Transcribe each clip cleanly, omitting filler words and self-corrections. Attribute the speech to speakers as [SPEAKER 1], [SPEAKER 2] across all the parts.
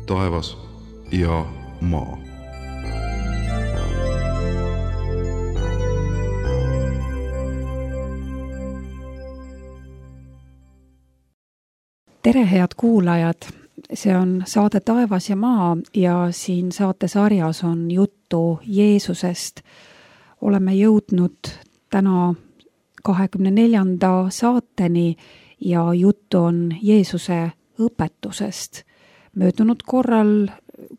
[SPEAKER 1] taevas ja maa.
[SPEAKER 2] Tere, head kuulajad! See on saade Taevas ja maa ja siin saatesarjas on juttu Jeesusest. Oleme jõudnud täna 24. saateni ja juttu on Jeesuse õpetusest. Möödunud korral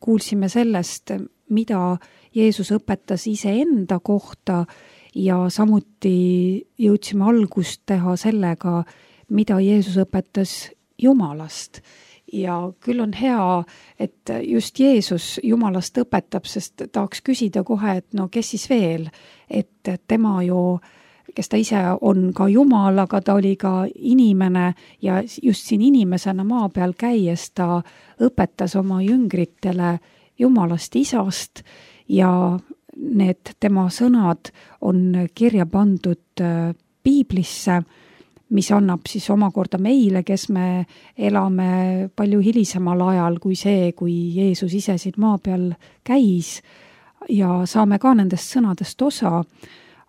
[SPEAKER 2] kuulsime sellest, mida Jeesus õpetas iseenda kohta ja samuti jõudsime algust teha sellega, mida Jeesus õpetas Jumalast. Ja küll on hea, et just Jeesus Jumalast õpetab, sest tahaks küsida kohe, et no kes siis veel, et tema ju, kes ta ise on ka Jumal, aga ta oli ka inimene ja just siin inimesena maa peal käies ta õpetas oma jüngritele Jumalast Isast ja need tema sõnad on kirja pandud Piiblisse, mis annab siis omakorda meile, kes me elame palju hilisemal ajal kui see, kui Jeesus ise siin maa peal käis ja saame ka nendest sõnadest osa,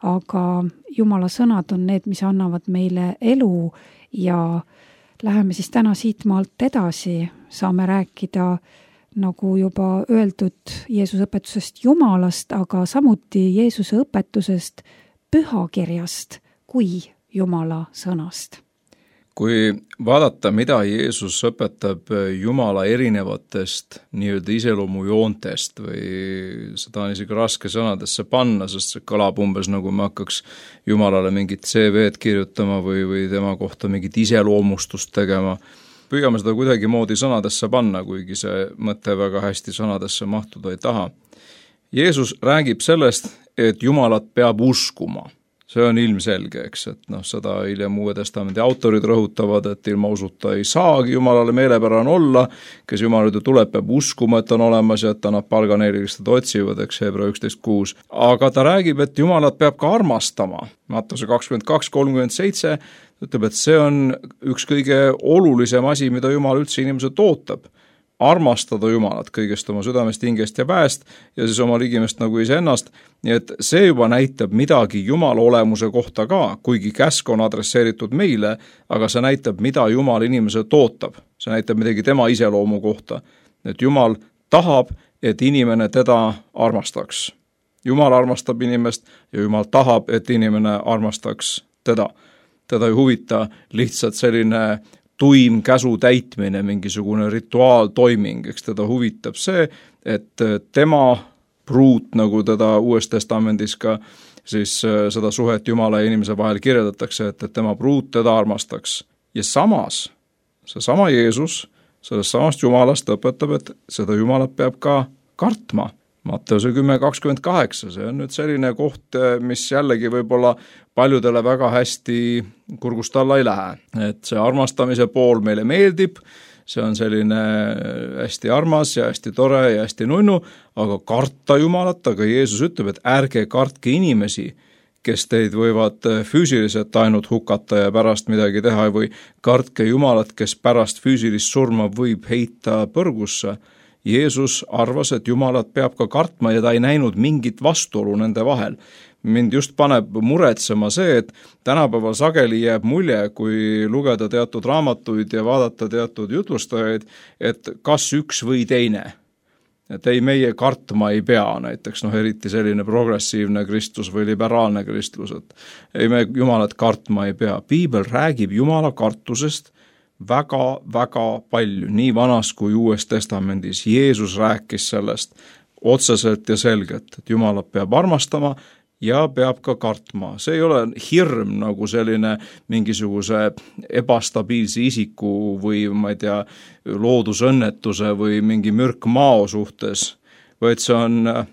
[SPEAKER 2] aga Jumala sõnad on need, mis annavad meile elu ja läheme siis täna siit maalt edasi, saame rääkida, nagu juba öeldud, Jeesuse õpetusest Jumalast, aga samuti Jeesuse õpetusest pühakirjast kui Jumala sõnast.
[SPEAKER 3] Kui vaadata, mida Jeesus õpetab Jumala erinevatest nii-öelda iseloomujoontest või seda on isegi raske sõnadesse panna, sest see kõlab umbes nagu me hakkaks Jumalale mingit CV-d kirjutama või tema kohta mingit iseloomustust tegema. Püüame seda kuidagimoodi sõnadesse panna, kuigi see mõte väga hästi sõnadesse mahtuda ei taha. Jeesus räägib sellest, et Jumalat peab uskuma. See on ilmselge, eks, et seda hiljem Uue Testamendi autorid rõhutavad, et ilma usuta ei saagi Jumalale meelepärane olla, kes Jumal juurde tuleb, peab uskuma, et on olemas ja et annab palga neile, kes teda otsivad, eks Hebra 11.6. Aga ta räägib, et Jumalat peab ka armastama. Mattuse 22.37 ütleb, et see on üks kõige olulisem asi, mida Jumal üldse inimeselt ootab. Armastada Jumalat kõigest oma südamest, hingest ja väest ja siis oma ligimest nagu iseennast. Nii et see juba näitab midagi Jumala olemuse kohta ka, kuigi käsk on adresseeritud meile, aga see näitab, mida Jumal inimeselt ootab. See näitab midagi tema iseloomu kohta. Et Jumal tahab, et inimene teda armastaks. Jumal armastab inimest ja Jumal tahab, et inimene armastaks teda. Teda ei huvita lihtsalt selline tuim käsu täitmine, mingisugune rituaaltoiming, eks teda huvitab see, et tema pruut, nagu teda Uues Testamendis ka siis seda suhet Jumala ja inimese vahel kirjeldatakse, et tema pruut teda armastaks. Ja samas, seesama Jeesus, sellest samast Jumalast õpetab, et seda Jumalat peab ka kartma. Matteuse 10.28, see on nüüd selline koht, mis jällegi võib-olla paljudele väga hästi kurgust alla ei lähe. Et see armastamise pool meile meeldib, see on selline hästi armas ja hästi tore ja hästi nunnu, aga karta Jumalat, aga Jeesus ütleb, et ärge kartke inimesi, kes teid võivad füüsiliselt ainult hukata ja pärast midagi teha või kartke Jumalat, kes pärast füüsilist surma võib heita põrgusse. Jeesus arvas, et Jumalat peab ka kartma ja ta ei näinud mingit vastuolu nende vahel. Mind just paneb muretsema see, et tänapäeval sageli jääb mulje, kui lugeda teatud raamatuid ja vaadata teatud jutlustajaid, et kas üks või teine. Et ei, meie kartma ei pea, näiteks eriti selline progressiivne kristlus või liberaalne kristlus, et ei, me Jumalat kartma ei pea. Piibel räägib Jumala kartusest väga palju, nii vanas kui Uues Testamendis. Jeesus rääkis sellest otseselt ja selgelt, et Jumalat peab armastama ja peab ka kartma. See ei ole hirm nagu selline mingisuguse ebastabiilse isiku või ma ei tea, loodusõnnetuse või mingi mürk mao suhtes, vaid see on,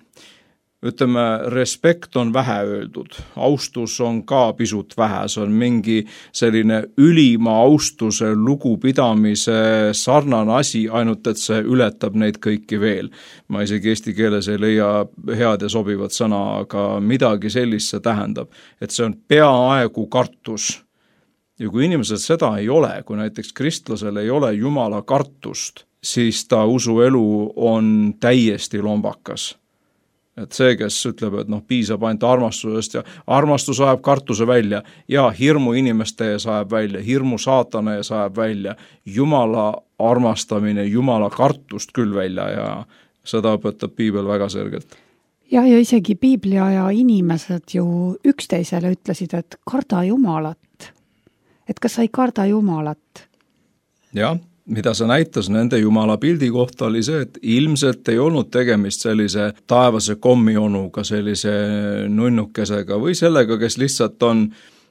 [SPEAKER 3] ütleme, respekt on vähe öeldud, austus on ka pisut vähe, see on mingi selline ülima austuse lugupidamise sarnane asi, ainult et see ületab neid kõiki veel. Ma isegi eesti keeles ei leia head ja sobivat sõna, aga midagi sellist see tähendab, et see on peaaegu kartus. Ja kui inimesel seda ei ole, kui näiteks kristlasel ei ole Jumala kartust, siis ta usuelu on täiesti lombakas. Et see, kes ütleb, et piisab ainult armastusest ja armastus ajab kartuse välja ja hirmu inimeste ees ajab välja, hirmu saatana ees ajab välja, Jumala armastamine, Jumala kartust küll välja ja seda õpetab piibel väga selgelt.
[SPEAKER 2] Ja isegi piiblia ja inimesed ju üksteisele ütlesid, et karda Jumalat. Et kas sa ei karda Jumalat?
[SPEAKER 3] Jah. Mida see näitas nende Jumala pildi kohta oli see, et ilmselt ei olnud tegemist sellise taevase kommionuga, sellise nunnukesega või sellega, kes lihtsalt on,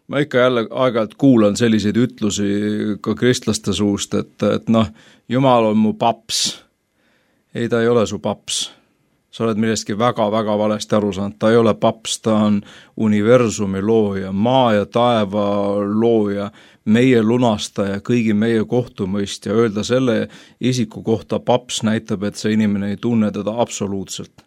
[SPEAKER 3] ma ikka jälle aeg-ajalt kuulan selliseid ütlusi ka kristlaste suust, et Jumal on mu paps. Ei, ta ei ole su paps. Sa oled millestki väga-väga valesti aru saanud. Ta ei ole paps, ta on universumi looja, maa ja taeva looja, meie lunastaja, kõigi meie kohtumõistja. Öelda selle isiku kohta paps näitab, et see inimene ei tunne teda absoluutselt.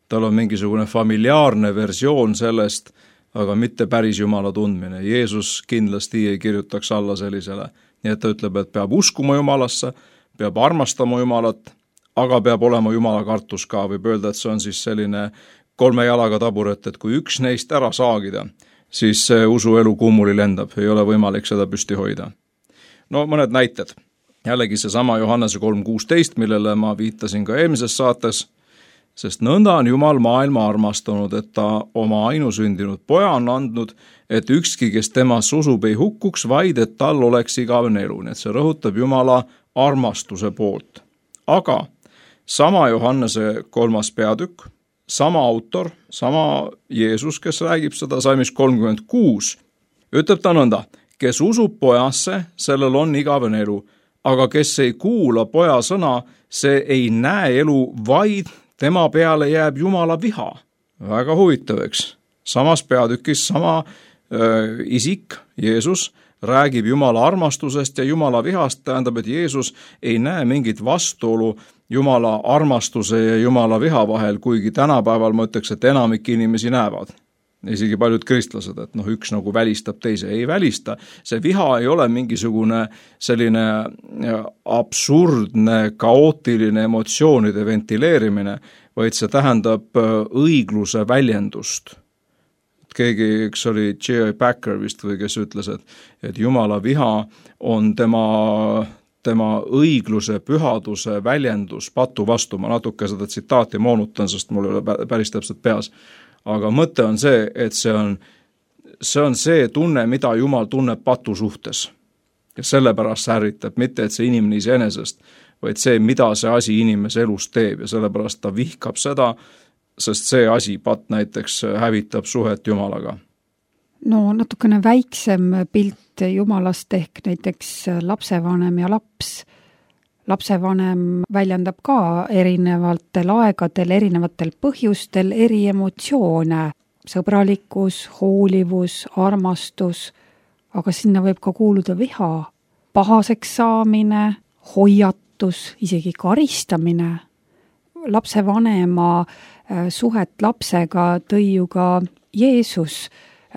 [SPEAKER 3] Tal on mingisugune familiaarne versioon sellest, aga mitte päris Jumala tundmine. Jeesus kindlasti ei kirjutaks alla sellisele. Nii et ta ütleb, et peab uskuma Jumalasse, peab armastama Jumalat, aga peab olema Jumala kartus ka, võib öelda, et see on siis selline 3 jalaga taburet, et kui üks neist ära saagida, siis see usuelu kummuli lendab, ei ole võimalik seda püsti hoida. No mõned näited. Jällegi seesama Johannese 3:16, millele ma viitasin ka eelmises saates, sest nõnda on Jumal maailma armastanud, et ta oma ainusündinud poja on andnud, et ükski, kes temas usub, ei hukkuks, vaid et tal oleks igavene elu. Nii et see rõhutab Jumala armastuse poolt. Aga sama Johannese 3. peatükk, sama autor, sama Jeesus, kes räägib seda salmis 36, ütleb ta nõnda, kes usub pojasse, sellel on igavene elu, aga kes ei kuula poja sõna, see ei näe elu, vaid tema peale jääb Jumala viha. Väga huvitav, eks? Samas peatükis sama isik, Jeesus, räägib Jumala armastusest ja Jumala vihast, tähendab, et Jeesus ei näe mingit vastuolu Jumala armastuse ja Jumala viha vahel, kuigi tänapäeval ma ütleks, et enamik inimesi näevad. Isegi paljud kristlased, et üks nagu välistab teise, ei välista. See viha ei ole mingisugune selline absurdne, kaootiline emotsioonide ventileerimine, vaid see tähendab õigluse väljendust. Keegi, eks oli J.I. Packer vist või kes ütles, et Jumala viha on tema õigluse, pühaduse väljendus patu vastu. Ma natuke seda tsitaati moonutan, sest mul ei ole päris täpselt peas. Aga mõte on see, et see on see tunne, mida Jumal tunneb patu suhtes. Ja sellepärast ärritab, mitte et see inimene iseenesest, vaid see, mida see asi inimese elus teeb ja sellepärast ta vihkab seda, sest see asi, pat näiteks hävitab suhet Jumalaga.
[SPEAKER 2] No natukene väiksem pilt Jumalast ehk näiteks lapsevanem ja laps. Lapsevanem väljendab ka erinevatel aegadel, erinevatel põhjustel eri emotsioone. Sõbralikkus, hoolivus, armastus, aga sinna võib ka kuuluda viha, pahaseks saamine, hoiatus, isegi karistamine. Lapsevanema suhet lapsega tõi ju ka Jeesus,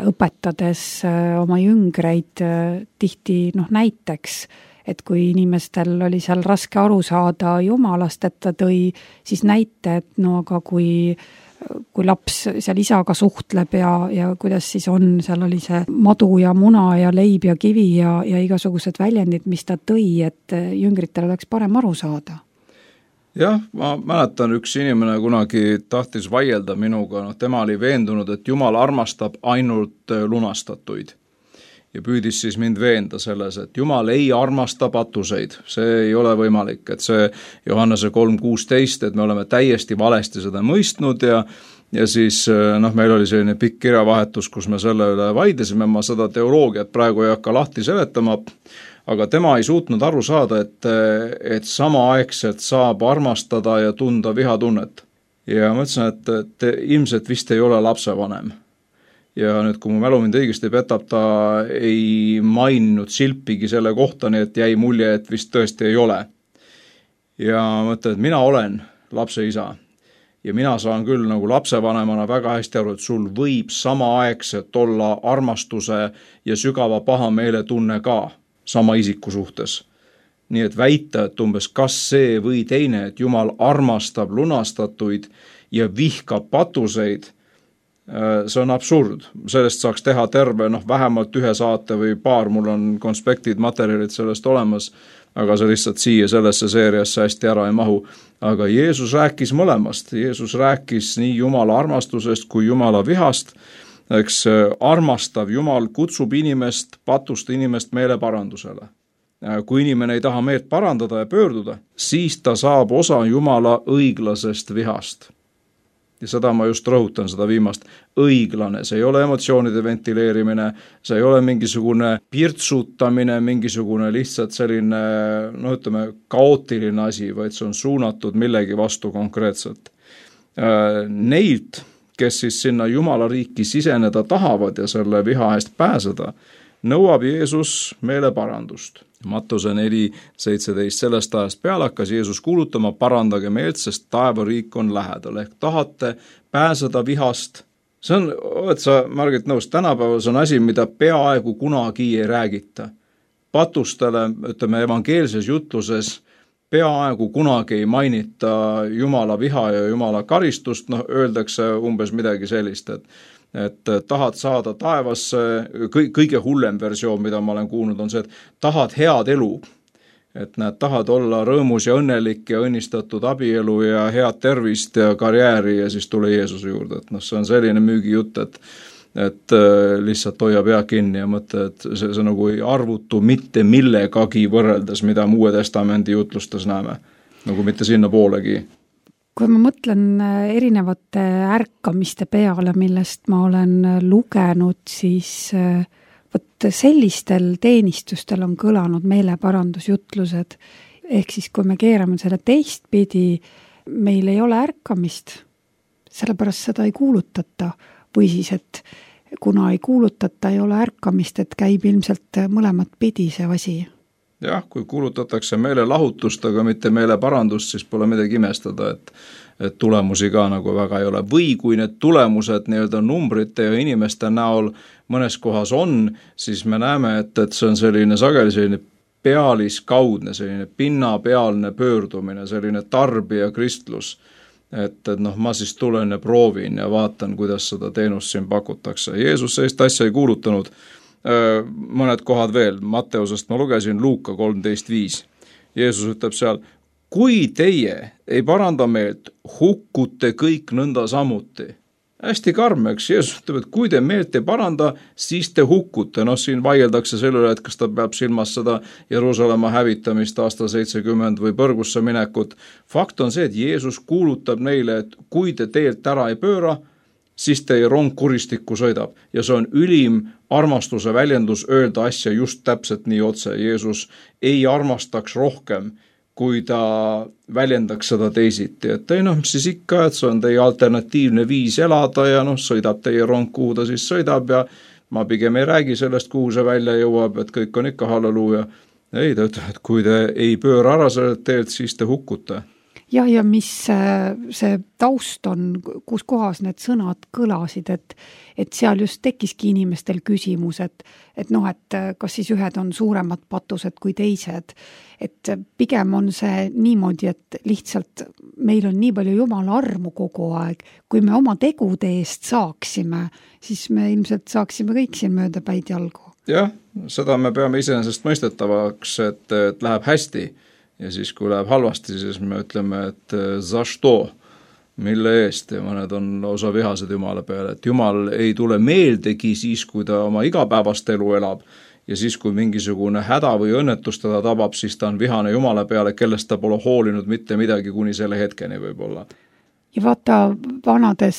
[SPEAKER 2] õpetades oma jüngreid tihti näiteks, et kui inimestel oli seal raske aru saada Jumalast, et ta tõi siis näite, et aga kui laps seal isaga suhtleb ja kuidas siis on, seal oli see madu ja muna ja leib ja kivi ja igasugused väljendid, mis ta tõi, et jüngritel oleks parem aru saada.
[SPEAKER 3] Jah, ma mäletan, üks inimene kunagi tahtis vaielda minuga, tema oli veendunud, et Jumal armastab ainult lunastatuid. Ja püüdis siis mind veenda selles, et Jumal ei armasta patuseid. See ei ole võimalik, et see Johannese 3:16, et me oleme täiesti valesti seda mõistnud ja siis meil oli selline pikk kirjavahetus, kus me selle üle vaidlesime, ma seda teoloogiat praegu ei hakka lahti seletama, aga tema ei suutnud aru saada, et samaaegselt saab armastada ja tunda vihatunnet. Ja ma ütlesin, et ilmselt vist ei ole lapsevanem. Ja nüüd, kui mu mälu mind õigesti petab, ta ei maininud silpigi selle kohta, nii et jäi mulje, et vist tõesti ei ole. Ja mõtlen, et mina olen lapse isa. ja mina saan küll nagu lapsevanemana väga hästi aru, et sul võib samaaegselt olla armastuse ja sügava pahameele tunne ka sama isiku suhtes. Nii et väita, et umbes kas see või teine, et Jumal armastab lunastatuid ja vihkab patuseid, see on absurd. Sellest saaks teha terve, vähemalt ühe saate või paar, mul on konspektid, materjalid sellest olemas, aga see lihtsalt siia sellesse seeriasse hästi ära ei mahu. Aga Jeesus rääkis mõlemast. Jeesus rääkis nii Jumala armastusest kui Jumala vihast. Eks armastav Jumal kutsub inimest, patust inimest meeleparandusele. Kui inimene ei taha meelt parandada ja pöörduda, siis ta saab osa Jumala õiglasest vihast. Ja seda ma just rõhutan, seda viimast. Õiglane, see ei ole emotsioonide ventileerimine, see ei ole mingisugune pirtsutamine, mingisugune lihtsalt selline, kaootiline asi, vaid see on suunatud millegi vastu konkreetselt. Neilt, kes siis sinna Jumala riiki siseneda tahavad ja selle viha eest pääseda, nõuab Jeesus meeleparandust. Mattuse 4:17, sellest ajast peale hakkas Jeesus kuulutama, parandage meelt, sest taevariik on lähedal. Ehk tahate pääseda vihast. See on, oled sa, Margit, nõus, tänapäeval see on asi, mida peaaegu kunagi ei räägita. Patustele, evangeelses jutluses peaaegu kunagi ei mainita Jumala viha ja Jumala karistust, öeldakse umbes midagi sellist, et tahad saada taevasse, kõige hullem versioon, mida ma olen kuulnud, on see, et tahad head elu. Et nad tahad olla rõõmus ja õnnelik ja õnnistatud abielu ja head tervist ja karjääri ja siis tule Jeesuse juurde. Et see on selline müügijutt, et lihtsalt hoia pea kinni ja mõtle, et see nagu ei arvutu mitte millegagi võrreldes, mida Uue Testamendi jutlustes näeme. Nagu mitte sinna poolegi.
[SPEAKER 2] Kui ma mõtlen erinevate ärkamiste peale, millest ma olen lugenud, siis võt sellistel teenistustel on kõlanud meeleparandusjutlused. Ehk siis, kui me keerame selle teistpidi, meil ei ole ärkamist, sellepärast seda ei kuulutata. Või siis, et kuna ei kuulutata, ei ole ärkamist, et käib ilmselt mõlemat pidi see asi.
[SPEAKER 3] Jah, kui kuulutatakse meelelahutust, aga mitte meeleparandust, siis pole midagi imestada, et tulemusi ka nagu väga ei ole. Või kui need tulemused numbrite ja inimeste näol mõnes kohas on, siis me näeme, et see on selline sageli selline pealiskaudne, selline pinnapealne pöördumine, selline tarbija kristlus. Et ma siis tulen ja proovin ja vaatan, kuidas seda teenust siin pakutakse. Jeesus sellist asja ei kuulutanud. Mõned kohad veel, Matteusest ma lugesin Luuka 13:5. Jeesus ütleb seal, kui teie ei paranda meelt, hukkute kõik nõnda samuti. Hästi karm, eks Jeesus ütleb, et kui te meelt ei paranda, siis te hukkute. Siin vaieldakse selle üle, et kas ta peab silmas seda Jeruusalemma hävitamist aastal 70 või põrgusse minekut. Fakt on see, et Jeesus kuulutab neile, et kui te teelt ära ei pööra, siis teie rong kuristikku sõidab. Ja see on ülim armastuse väljendus öelda asja just täpselt nii otse. Jeesus ei armastaks rohkem, kui ta väljendaks seda teisiti. Et siis ikka, et see on teie alternatiivne viis elada ja sõidab teie rong, kuhu ta siis sõidab ja ma pigem ei räägi sellest, kuhu see välja jõuab, et kõik on ikka halleluuja. Ei, ta ütleb, et kui te ei pööra ära sellelt teelt, siis te hukkute.
[SPEAKER 2] Ja mis see taust on, kus kohas need sõnad kõlasid, et seal just tekkiski inimestel küsimus, et kas siis ühed on suuremad patused kui teised. Et pigem on see niimoodi, et lihtsalt meil on nii palju Jumala armu kogu aeg. Kui me oma tegude eest saaksime, siis me ilmselt saaksime kõik siin mööda päid jalgu.
[SPEAKER 3] Jah, seda me peame iseenesest mõistetavaks, et läheb hästi. Ja siis, kui läheb halvasti, siis me ütleme, et za što, mille eest, ja mõned on osa vihased Jumala peale, et Jumal ei tule meeldegi siis, kui ta oma igapäevast elu elab, ja siis, kui mingisugune häda või õnnetus teda tabab, siis ta on vihane Jumala peale, kellest ta pole hoolinud mitte midagi kuni selle hetkeni võib-olla.
[SPEAKER 2] Ja vaata, vanades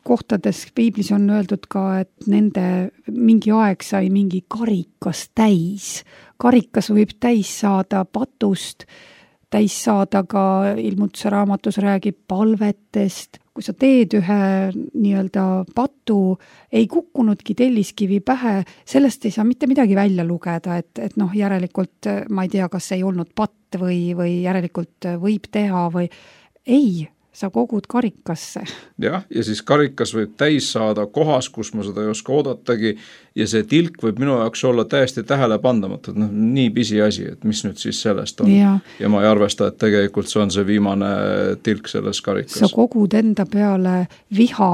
[SPEAKER 2] kohtades piiblis on öeldud ka, et nende mingi aeg sai mingi karikas täis. Karikas võib täis saada patust, täis saada ka Ilmutuse raamatus räägib palvetest. Kui sa teed ühe nii-öelda patu, ei kukkunudki telliskivi pähe, sellest ei saa mitte midagi välja lugeda, et järelikult ma ei tea, kas ei olnud patt või järelikult võib teha või ei. sa kogud karikasse.
[SPEAKER 3] Jah, ja siis karikas võib täis saada kohas, kus ma seda ei oska oodatagi ja see tilk võib minu jaoks olla täiesti tähelepandamatu, et nii pisi asi, et mis nüüd siis sellest on. Ja ma ei arvesta, et tegelikult see on see viimane tilk selles karikas.
[SPEAKER 2] Sa kogud enda peale viha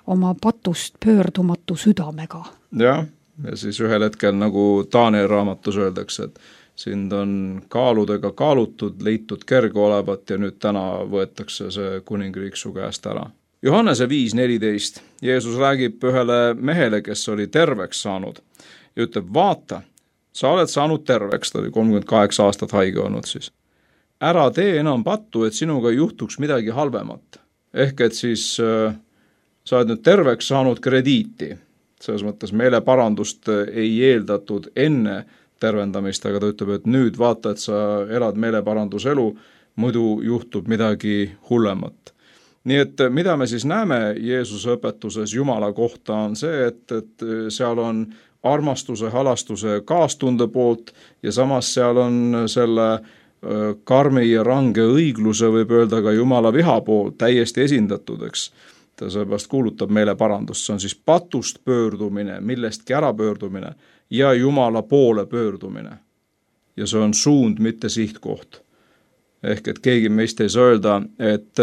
[SPEAKER 2] oma patust pöördumatu südamega.
[SPEAKER 3] Jah, ja siis ühel hetkel nagu Daniel raamatus öeldakse, et sind on kaaludega kaalutud, leitud kerge olevat ja nüüd täna võetakse see kuningriik su käest ära. Johannese 5.14. Jeesus räägib ühele mehele, kes oli terveks saanud ja ütleb, vaata, sa oled saanud terveks, ta oli 38 aastat haige olnud siis. Ära tee enam pattu, et sinuga juhtuks midagi halvemat. Ehk et siis sa oled nüüd terveks saanud krediiti. Selles mõttes meeleparandust ei eeldatud enne tervendamist, aga ta ütleb, et nüüd vaata, et sa elad meeleparanduselu, muidu juhtub midagi hullemat. Nii et mida me siis näeme Jeesuse õpetuses Jumala kohta on see, et seal on armastuse, halastuse kaastunde poolt ja samas seal on selle karmi ja range õigluse, võib öelda ka Jumala viha poolt täiesti esindatud, eks. Ta seepärast kuulutab meeleparandust, see on siis patust pöördumine, millestki ära pöördumine ja Jumala poole pöördumine. Ja see on suund, mitte sihtkoht. Ehk et keegi meist ei saa öelda, et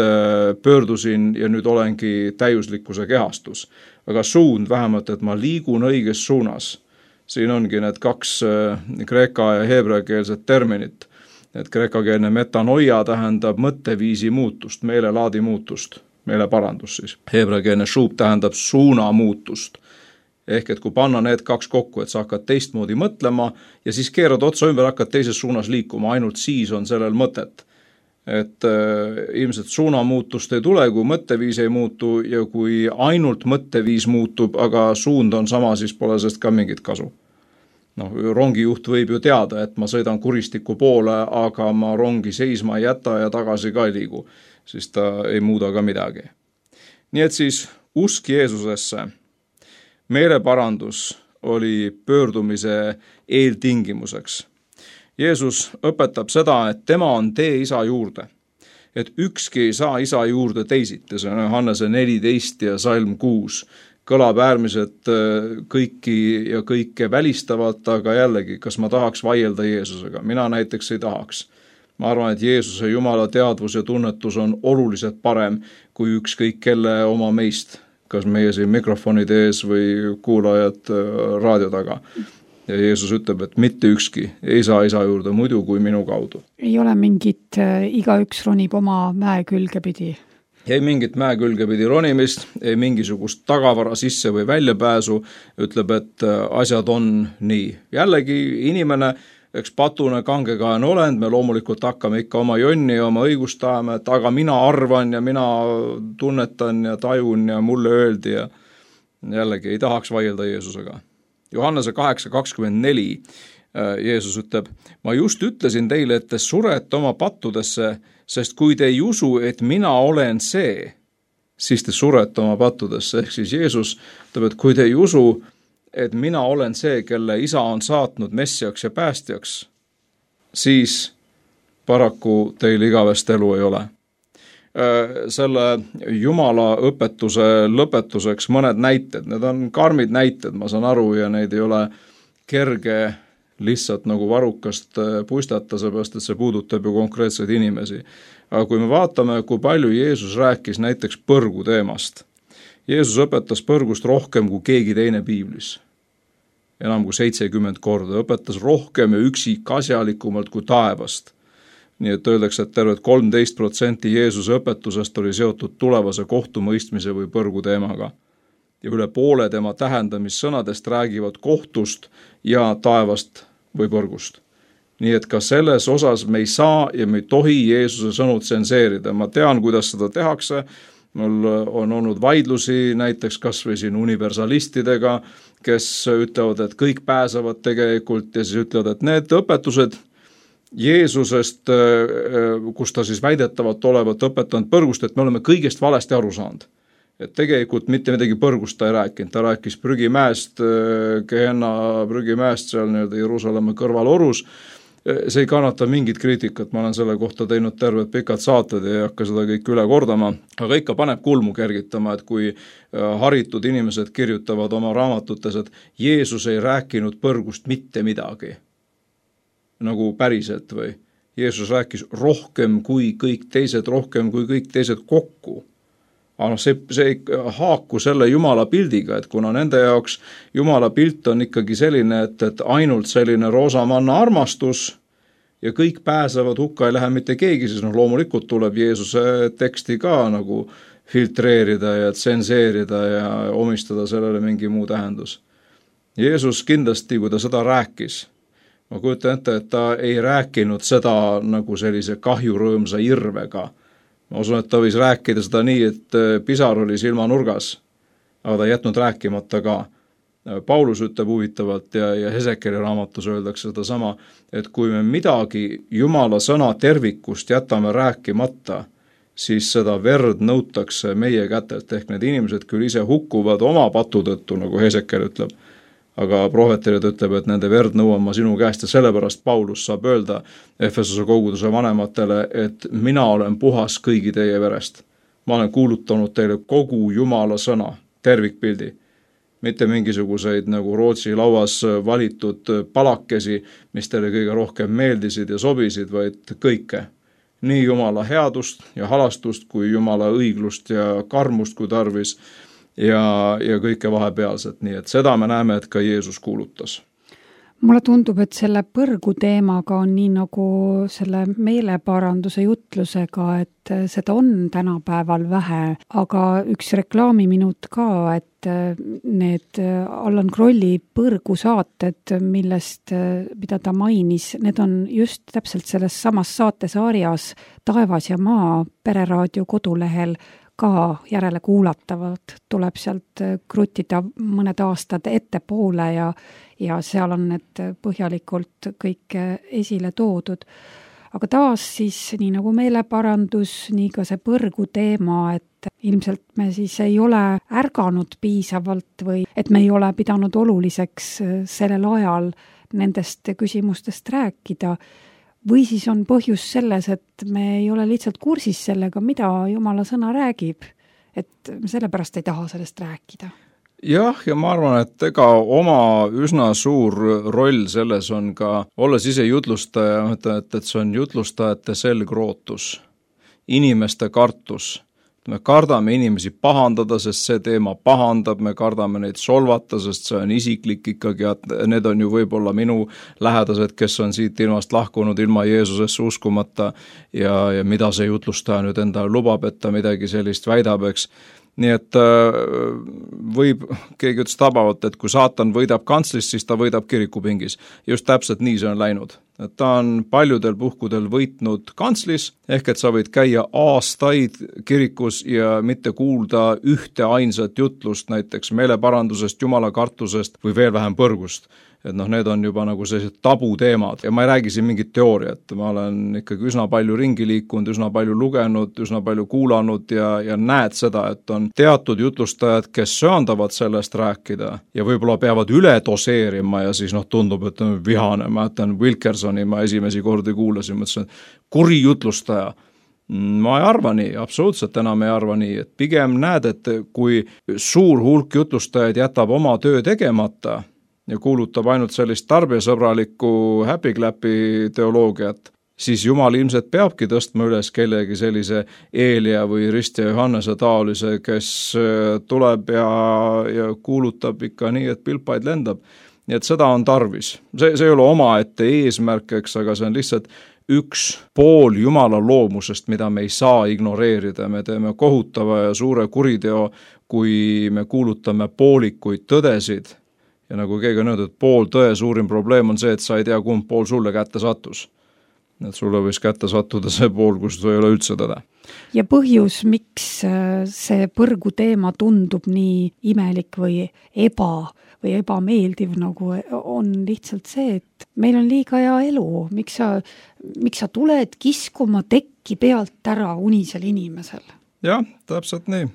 [SPEAKER 3] pöördusin ja nüüd olengi täiuslikkuse kehastus. Aga suund vähemalt, et ma liigun õiges suunas. Siin ongi need kaks kreeka ja heebreakeelset terminit. Et kreekakeelne metanoia tähendab mõtteviisi muutust, meelelaadi muutust, meeleparandus siis. Heebreakeelne šuub tähendab suuna muutust. Ehk et kui panna need kaks kokku, et sa hakkad teistmoodi mõtlema ja siis keerad otsa ümber, hakkad teises suunas liikuma, ainult siis on sellel mõtet. Et ilmselt suunamuutust ei tule, kui mõtteviis ei muutu ja kui ainult mõtteviis muutub, aga suund on sama, siis pole sellest ka mingit kasu. Rongijuht võib ju teada, et ma sõidan kuristiku poole, aga ma rongi seisma ei jäta ja tagasi ka ei liigu, siis ta ei muuda ka midagi. Nii et siis usk Jeesusesse, meeleparandus oli pöördumise eeltingimuseks. Jeesus õpetab seda, et tema on tee isa juurde, et ükski ei saa isa juurde teisiti, see on Johannese 14 ja salm 6, kõlab äärmiselt kõiki ja kõike välistavalt, aga jällegi, kas ma tahaks vaielda Jeesusega? Mina näiteks ei tahaks. Ma arvan, et Jeesuse Jumala teadvus ja tunnetus on oluliselt parem kui ükskõik kelle oma meist, kas meie siin mikrofonide ees või kuulajad raadio taga. Ja Jeesus ütleb, et mitte ükski ei saa isa juurde muidu kui minu kaudu.
[SPEAKER 2] Ei ole mingit igaüks ronib oma mäe külge pidi.
[SPEAKER 3] Ei mingit mäe külge pidi ronimist, ei mingisugust tagavara sisse või väljapääsu, ütleb, et asjad on nii. Jällegi inimene, eks patune kangekaen olend, me loomulikult hakkame ikka oma jonni ja oma õigust tahame, et aga mina arvan ja mina tunnetan ja tajun ja mulle öeldi ja jällegi ei tahaks vaielda Jeesusega. Johannese 8.24 Jeesus ütleb, ma just ütlesin teile, et te surete oma pattudesse, sest kui te ei usu, et mina olen see, siis te surete oma pattudesse. Ehk siis Jeesus ütleb, et kui te ei usu, et mina olen see, kelle isa on saatnud messiaks ja päästjaks, siis paraku teil igavest elu ei ole. Selle Jumala õpetuse lõpetuseks mõned näited, need on karmid näited, ma saan aru, ja neid ei ole kerge lihtsalt nagu varrukast puistata, seepärast, et see puudutab ju konkreetseid inimesi. Aga kui me vaatame, kui palju Jeesus rääkis näiteks põrgu teemast, Jeesus õpetas põrgust rohkem kui keegi teine piiblis. Enam kui 70 korda, õpetas rohkem ja üksikasjalikumalt kui taevast. Nii et öeldakse, et terved 13% Jeesuse õpetusest oli seotud tulevase kohtumõistmise või põrgu teemaga. Ja üle poole tema tähendamissõnadest räägivad kohtust ja taevast või põrgust. Nii et ka selles osas me ei saa ja me ei tohi Jeesuse sõnu tsenseerida. Ma tean, kuidas seda tehakse. Mul on olnud vaidlusi näiteks kas või siin universalistidega, kes ütlevad, et kõik pääsevad tegelikult ja siis ütlevad, et need õpetused Jeesusest, kus ta siis väidetavalt olevat õpetanud põrgust, et me oleme kõigest valesti aru saanud. Et tegelikult mitte midagi põrgust ta ei rääkinud, ta rääkis prügimäest, Gehenna prügimäest seal Jeruusalemma kõrval orus see ei kannata mingit kriitikat, ma olen selle kohta teinud terved pikad saated ja ei hakka seda kõik üle kordama, aga ikka paneb kulmu kergitama, et kui haritud inimesed kirjutavad oma raamatutes, et Jeesus ei rääkinud põrgust mitte midagi, nagu päriselt või Jeesus rääkis rohkem kui kõik teised, rohkem kui kõik teised kokku. Aga see ei haaku selle Jumala pildiga, et kuna nende jaoks Jumala pilt on ikkagi selline, et ainult selline roosamanna armastus ja kõik pääsevad, hukka ei lähe mitte keegi, siis loomulikult tuleb Jeesuse teksti ka nagu filtreerida ja tsenseerida ja omistada sellele mingi muu tähendus. Jeesus kindlasti, kui ta seda rääkis, ma kujutan ette, et ta ei rääkinud seda nagu sellise kahjurõõmsa irvega. Ma usun, et ta võis rääkida seda nii, et pisar oli silmanurgas, aga ta ei jätnud rääkimata ka. Paulus ütleb huvitavalt ja Hesekeli raamatus öeldakse seda sama, et kui me midagi Jumala sõna tervikust jätame rääkimata, siis seda verd nõutakse meie kätelt, ehk need inimesed küll ise hukkuvad oma patu tõttu, nagu Hesekel ütleb, aga prohveterid ütleb, et nende verd nõuan ma sinu käest ja sellepärast Paulus saab öelda Efesose koguduse vanematele, et mina olen puhas kõigi teie verest. Ma olen kuulutanud teile kogu Jumala sõna, tervikpildi, mitte mingisuguseid nagu Rootsi lauas valitud palakesi, mis teile kõige rohkem meeldisid ja sobisid, vaid kõike. Nii Jumala headust ja halastust kui Jumala õiglust ja karmust kui tarvis, ja kõike vahepealset, nii et seda me näeme, et ka Jeesus kuulutas.
[SPEAKER 2] Mulle tundub, et selle põrgu teemaga on nii nagu selle meeleparanduse jutlusega, et seda on tänapäeval vähe, aga üks reklaamiminut ka, et need Allan Krolli põrgusaated, mida ta mainis, need on just täpselt selles samas saatesarjas Taevas ja maa Pereraadio kodulehel ka järele kuulatavalt, tuleb sealt krutida mõned aastad ettepoole ja seal on need põhjalikult kõik esile toodud. Aga taas siis nii nagu meeleparandus, nii ka see põrgu teema, et ilmselt me siis ei ole ärganud piisavalt või et me ei ole pidanud oluliseks sellel ajal nendest küsimustest rääkida. Või siis on põhjus selles, et me ei ole lihtsalt kursis sellega, mida Jumala sõna räägib, et sellepärast ei taha sellest rääkida.
[SPEAKER 3] Jah, ja ma arvan, et ega oma üsna suur roll selles on ka, olles ise jutlustaja, et see on jutlustajate selgrootus, inimeste kartus. Me kardame inimesi pahandada, sest see teema pahandab, me kardame neid solvata, sest see on isiklik ikkagi, et need on ju võib-olla minu lähedased, kes on siit ilmast lahkunud ilma Jeesusesse uskumata ja mida see jutlustaja nüüd endale lubab, et ta midagi sellist väidab, eks. Nii et keegi ütles tabavalt, et kui saatan võidab kantslis, siis ta võidab kirikupingis. Just täpselt nii see on läinud. Et ta on paljudel puhkudel võitnud kantslis, ehk et sa võid käia aastaid kirikus ja mitte kuulda ühte ainsat jutlust, näiteks meeleparandusest, Jumala kartusest või veel vähem põrgust. Et need on juba nagu sellised tabuteemad ja ma ei räägi siin mingit teooriat, ma olen ikkagi üsna palju ringi liikunud, üsna palju lugenud, üsna palju kuulanud ja näed seda, et on teatud jutlustajad, kes söandavad sellest rääkida ja võib-olla peavad üle doseerima ja siis tundub, et on vihane, ma jätan Wilkersoni, ma esimesi kordi kuulasin, mõtlesin, et kuri jutlustaja. Ma ei arva nii, absoluutselt enam ei arva nii, et pigem näed, et kui suur hulk jutlustajaid jätab oma töö tegemata ja kuulutab ainult sellist tarbijasõbralikku happy-clappi teoloogiat, siis Jumal ilmselt peabki tõstma üles kellegi sellise Eelia või Rist ja Johannese taolise, kes tuleb ja kuulutab ikka nii, et pilpaid lendab. Nii et seda on tarvis. See ei ole omaette eesmärk, eks, aga see on lihtsalt üks pool Jumala loomusest, mida me ei saa ignoreerida. Me teeme kohutava ja suure kuriteo, kui me kuulutame poolikuid tõdesid. Ja nagu keegi on öeldud, pool tõe suurim probleem on see, et sa ei tea, kumb pool sulle kätte sattus. Et sulle võis kätte sattuda see pool, kus ei ole üldse tõde.
[SPEAKER 2] Ja põhjus, miks see põrgu teema tundub nii imelik või ebameeldiv, nagu on lihtsalt see, et meil on liiga hea elu. Miks sa tuled kiskuma tekki pealt ära unisel inimesel?
[SPEAKER 3] Jah, täpselt nii.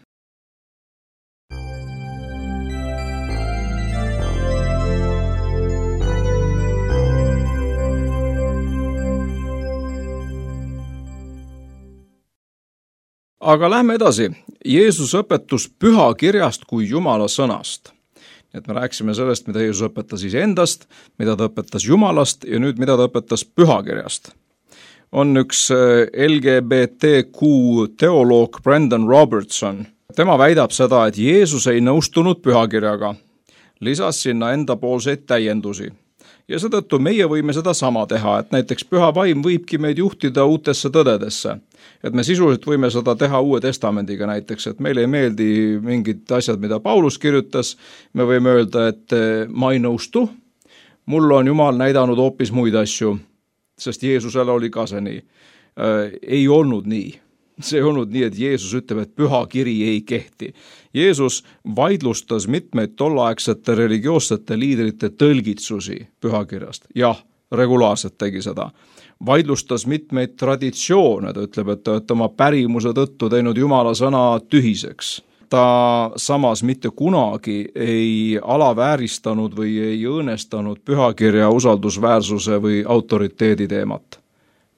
[SPEAKER 3] Aga lähme edasi. Jeesus õpetus pühakirjast kui Jumala sõnast. Et me rääkisime sellest, mida Jeesus õpetas iseendast, mida ta õpetas Jumalast ja nüüd mida ta õpetas pühakirjast. On üks LGBTQ teoloog Brendan Robertson. Tema väidab seda, et Jeesus ei nõustunud pühakirjaga, lisas sinna endapoolseid täiendusi. Ja seetõttu meie võime seda sama teha, et näiteks püha vaim võibki meid juhtida uutesse tõdedesse. Et me sisuliselt võime seda teha Uue Testamendiga näiteks, et meile ei meeldi mingid asjad, mida Paulus kirjutas. Me võime öelda, et ma ei nõustu, mul on Jumal näidanud hoopis muid asju, sest Jeesusele oli ka see nii. Ei olnud nii. See ei olnud nii, et Jeesus ütleb, et püha kiri ei kehti. Jeesus vaidlustas mitmeid tolleaegsete religioossete liidrite tõlgitsusi pühakirjast. Jah, regulaarselt tegi seda. Vaidlustas mitmeid traditsioone, ta ütleb, et ta oma pärimuse tõttu teinud Jumala sõna tühiseks. Ta samas mitte kunagi ei alavääristanud või ei õõnestanud pühakirja usaldusväärsuse või autoriteedi teemat.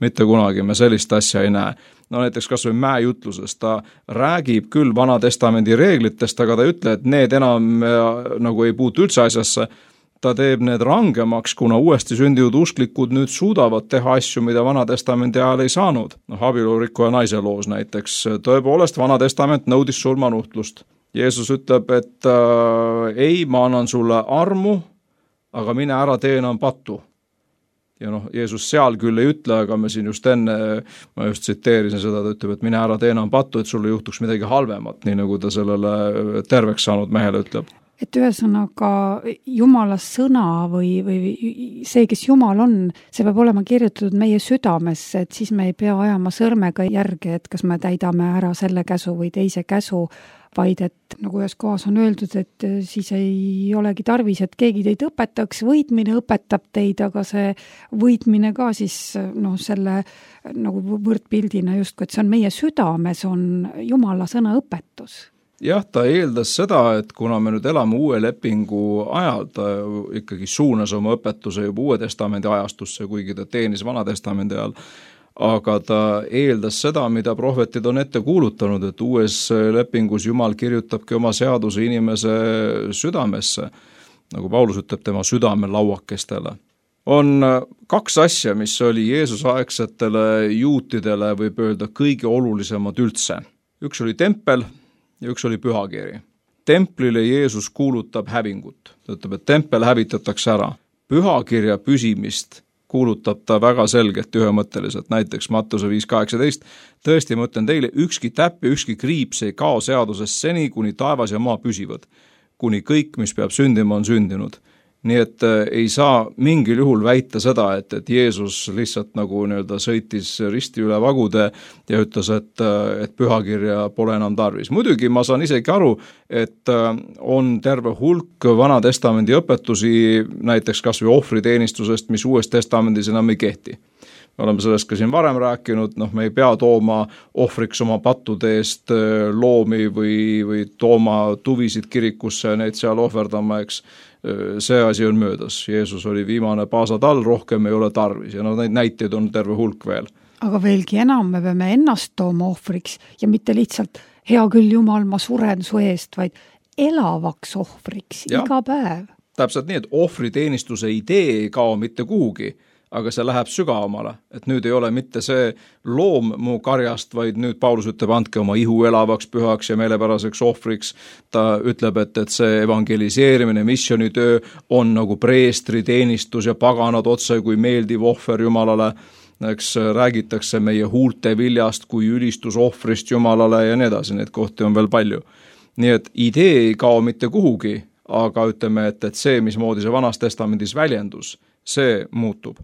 [SPEAKER 3] Mitte kunagi me sellist asja ei näe. No näiteks kas või mäejutlusest, ta räägib küll Vana Testamendi reeglitest, aga ta ei ütle, et need enam nagu ei puutu üldse asjasse. Ta teeb need rangemaks, kuna uuesti sündinud usklikud nüüd suudavad teha asju, mida Vana Testamendi ajal ei saanud. Abielurikkuja naise loos näiteks. Tõepoolest, Vana Testament nõudis surmanuhtlust. Jeesus ütleb, et ei, ma annan sulle armu, aga mine ära tee enam pattu. Ja Jeesus seal küll ei ütle, aga me siin just enne, ma just tsiteerisin seda, ta ütleb, et mine ära tee enam pattu, et sulle juhtuks midagi halvemat, nii nagu ta sellele terveks saanud mehele ütleb.
[SPEAKER 2] Et ühesõnaga Jumala sõna või see, kes Jumal on, see peab olema kirjutatud meie südamesse, et siis me ei pea ajama sõrmega järgi, et kas me täidame ära selle käsu või teise käsu, vaid et nagu ühes kohas on öeldud, et siis ei olegi tarvis, et keegi teid õpetaks, võitmine õpetab teid, aga see võitmine ka siis selle nagu võrdpildina justkui, et see on meie südames, on Jumala sõna õpetus.
[SPEAKER 3] Jah, ta eeldas seda, et kuna me nüüd elame uue lepingu ajal, ta ikkagi suunas oma õpetuse juba Uue Testamendi ajastusse, kuigi ta teenis Vana Testamendi ajal, aga ta eeldas seda, mida prohvetid on ette kuulutanud, et uues lepingus Jumal kirjutabki oma seaduse inimese südamesse, nagu Paulus ütleb tema südame lauakestele. On kaks asja, mis oli Jeesusaegsetele juutidele, võib öelda, kõige olulisemad üldse. Üks oli tempel ja üks oli pühakiri. Templile Jeesus kuulutab hävingut. Ta ütleb, et tempel hävitatakse ära. Pühakirja püsimist kuulutab ta väga selgelt ühemõtteliselt, näiteks Mattuse 5.18. Tõesti, ma ütlen teile, ükski täpp ja ükski kriips ei kao seadusest seni, kuni taevas ja maa püsivad. Kuni kõik, mis peab sündima, on sündinud. Nii et ei saa mingil juhul väita seda, et Jeesus lihtsalt nagu sõitis risti üle vagude ja ütles, et pühakirja pole enam tarvis. Muidugi ma saan isegi aru, et on terve hulk Vana Testamendi õpetusi, näiteks kas või ohvriteenistusest, mis Uues Testamendis enam ei kehti. Me oleme sellest ka siin varem rääkinud, me ei pea tooma ohvriks oma pattude eest loomi või tooma tuvisid kirikusse ja neid seal ohverdama, eks. See asi on möödas. Jeesus oli viimane paasatall, rohkem ei ole tarvis ja neid näiteid on terve hulk veel.
[SPEAKER 2] Aga veelgi enam me peame ennast tooma ohvriks ja mitte lihtsalt hea küll Jumal, ma suren su eest, vaid elavaks ohvriks iga päev.
[SPEAKER 3] Täpselt nii, et ohvriteenistuse idee ei kao mitte kuhugi, aga see läheb sügavamale, et nüüd ei ole mitte see loom mu karjast, vaid nüüd Paulus ütleb, andke oma ihu elavaks, pühaks ja meelepäraseks ohvriks. Ta ütleb, et see evangeliseerimine, missionitöö on nagu preestri teenistus ja paganad otse kui meeldiv ohver Jumalale. Eks räägitakse meie huulte viljast kui ülistusohvrist Jumalale ja nii edasi, neid kohti on veel palju. Nii et idee ei kao mitte kuhugi, aga ütleme, et see, mismoodi see Vanas Testamendis väljendus, see muutub.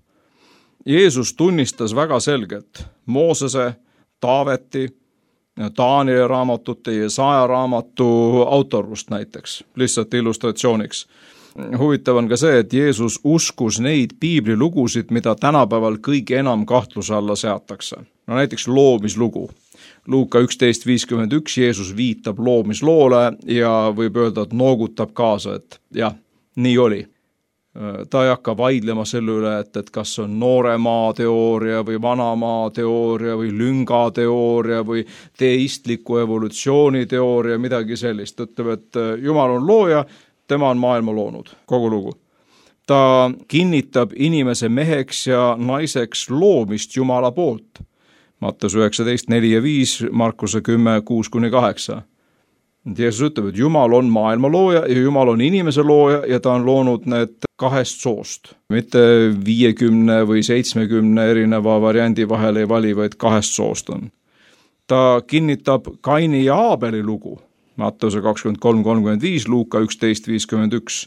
[SPEAKER 3] Jeesus tunnistas väga selgelt Moosese, Taaveti, Taanieli raamatute ja Jesaja raamatu autorust näiteks, lihtsalt illustratsiooniks. Huvitav on ka see, et Jeesus uskus neid piiblilugusid, mida tänapäeval kõige enam kahtluse alla seatakse. No näiteks loomislugu. Luuka 11.51 Jeesus viitab loomisloole ja võib öelda, et noogutab kaasa, et jah, nii oli. Ta ei hakka vaidlema selle üle, et kas on noore maa teooria või vana maa teooria või lünga teooria või teistliku evolutsiooni teooria, midagi sellist. Ta ütleb, et Jumal on looja, tema on maailma loonud, kogu lugu. Ta kinnitab inimese meheks ja naiseks loomist Jumala poolt. Matteus 19, 4 ja 5, Markuse 10, 6-8. Jeesus ütleb, et Jumal on maailma looja ja Jumal on inimese looja ja ta on loonud need 2 soost. Mitte 50 või 70 erineva variandi vahel ei vali, vaid 2 soost on. Ta kinnitab Kaini ja Aabeli lugu. Matteuse 23-35, Luuka 11-51.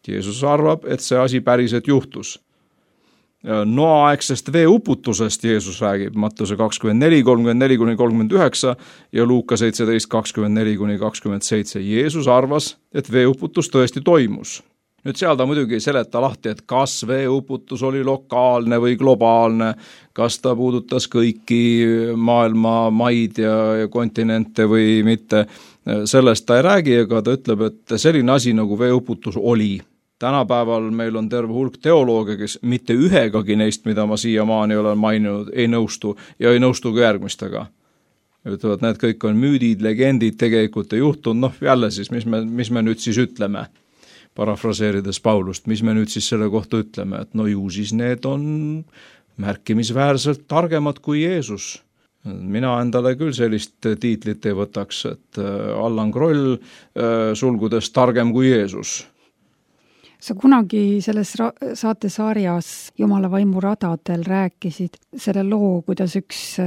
[SPEAKER 3] Jeesus arvab, et see asi päriselt juhtus. Noa-aegsest veeuputusest Jeesus räägib, Matteuse 24, 34-39 ja Luuka 17, 24-27. Jeesus arvas, et veeuputus tõesti toimus. Nüüd seal ta muidugi ei seleta lahti, et kas veeuputus oli lokaalne või globaalne, kas ta puudutas kõiki maailma maid ja kontinente või mitte. Sellest ta ei räägi, aga ta ütleb, et selline asi nagu veeuputus oli. Tänapäeval meil on terve hulk teolooge, kes mitte ühegagi neist, mida ma siiamaani olen maininud, ei nõustu ja ei nõustu ka järgmistega. Ütlevad, need kõik on müüdid, legendid, tegelikult ei juhtunud, jälle siis, mis me nüüd siis ütleme, parafraseerides Paulust, mis me nüüd siis selle kohta ütleme, et ju siis need on märkimisväärselt targemad kui Jeesus. Mina endale küll sellist tiitlit ei võtaks, et Allan Kroll sulgudes targem kui Jeesus.
[SPEAKER 2] Sa kunagi selles saatesarjas Jumala vaimu radadel rääkisid selle loo, kuidas üks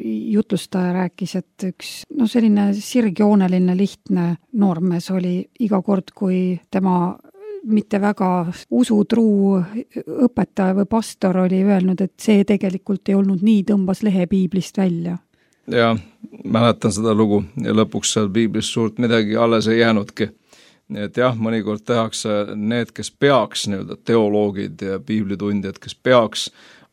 [SPEAKER 2] jutlustaja rääkis, et üks selline sirgjooneline lihtne noormees oli iga kord, kui tema mitte väga usutruu õpetaja või pastor oli öelnud, et see tegelikult ei olnud nii, tõmbas lehe piiblist välja.
[SPEAKER 3] Ja, mäletan seda lugu ja lõpuks seal piiblist suurt midagi alles ei jäänudki. Nii et jah, mõnikord tehakse need, kes peaks, teoloogid ja piiblitundjad, kes peaks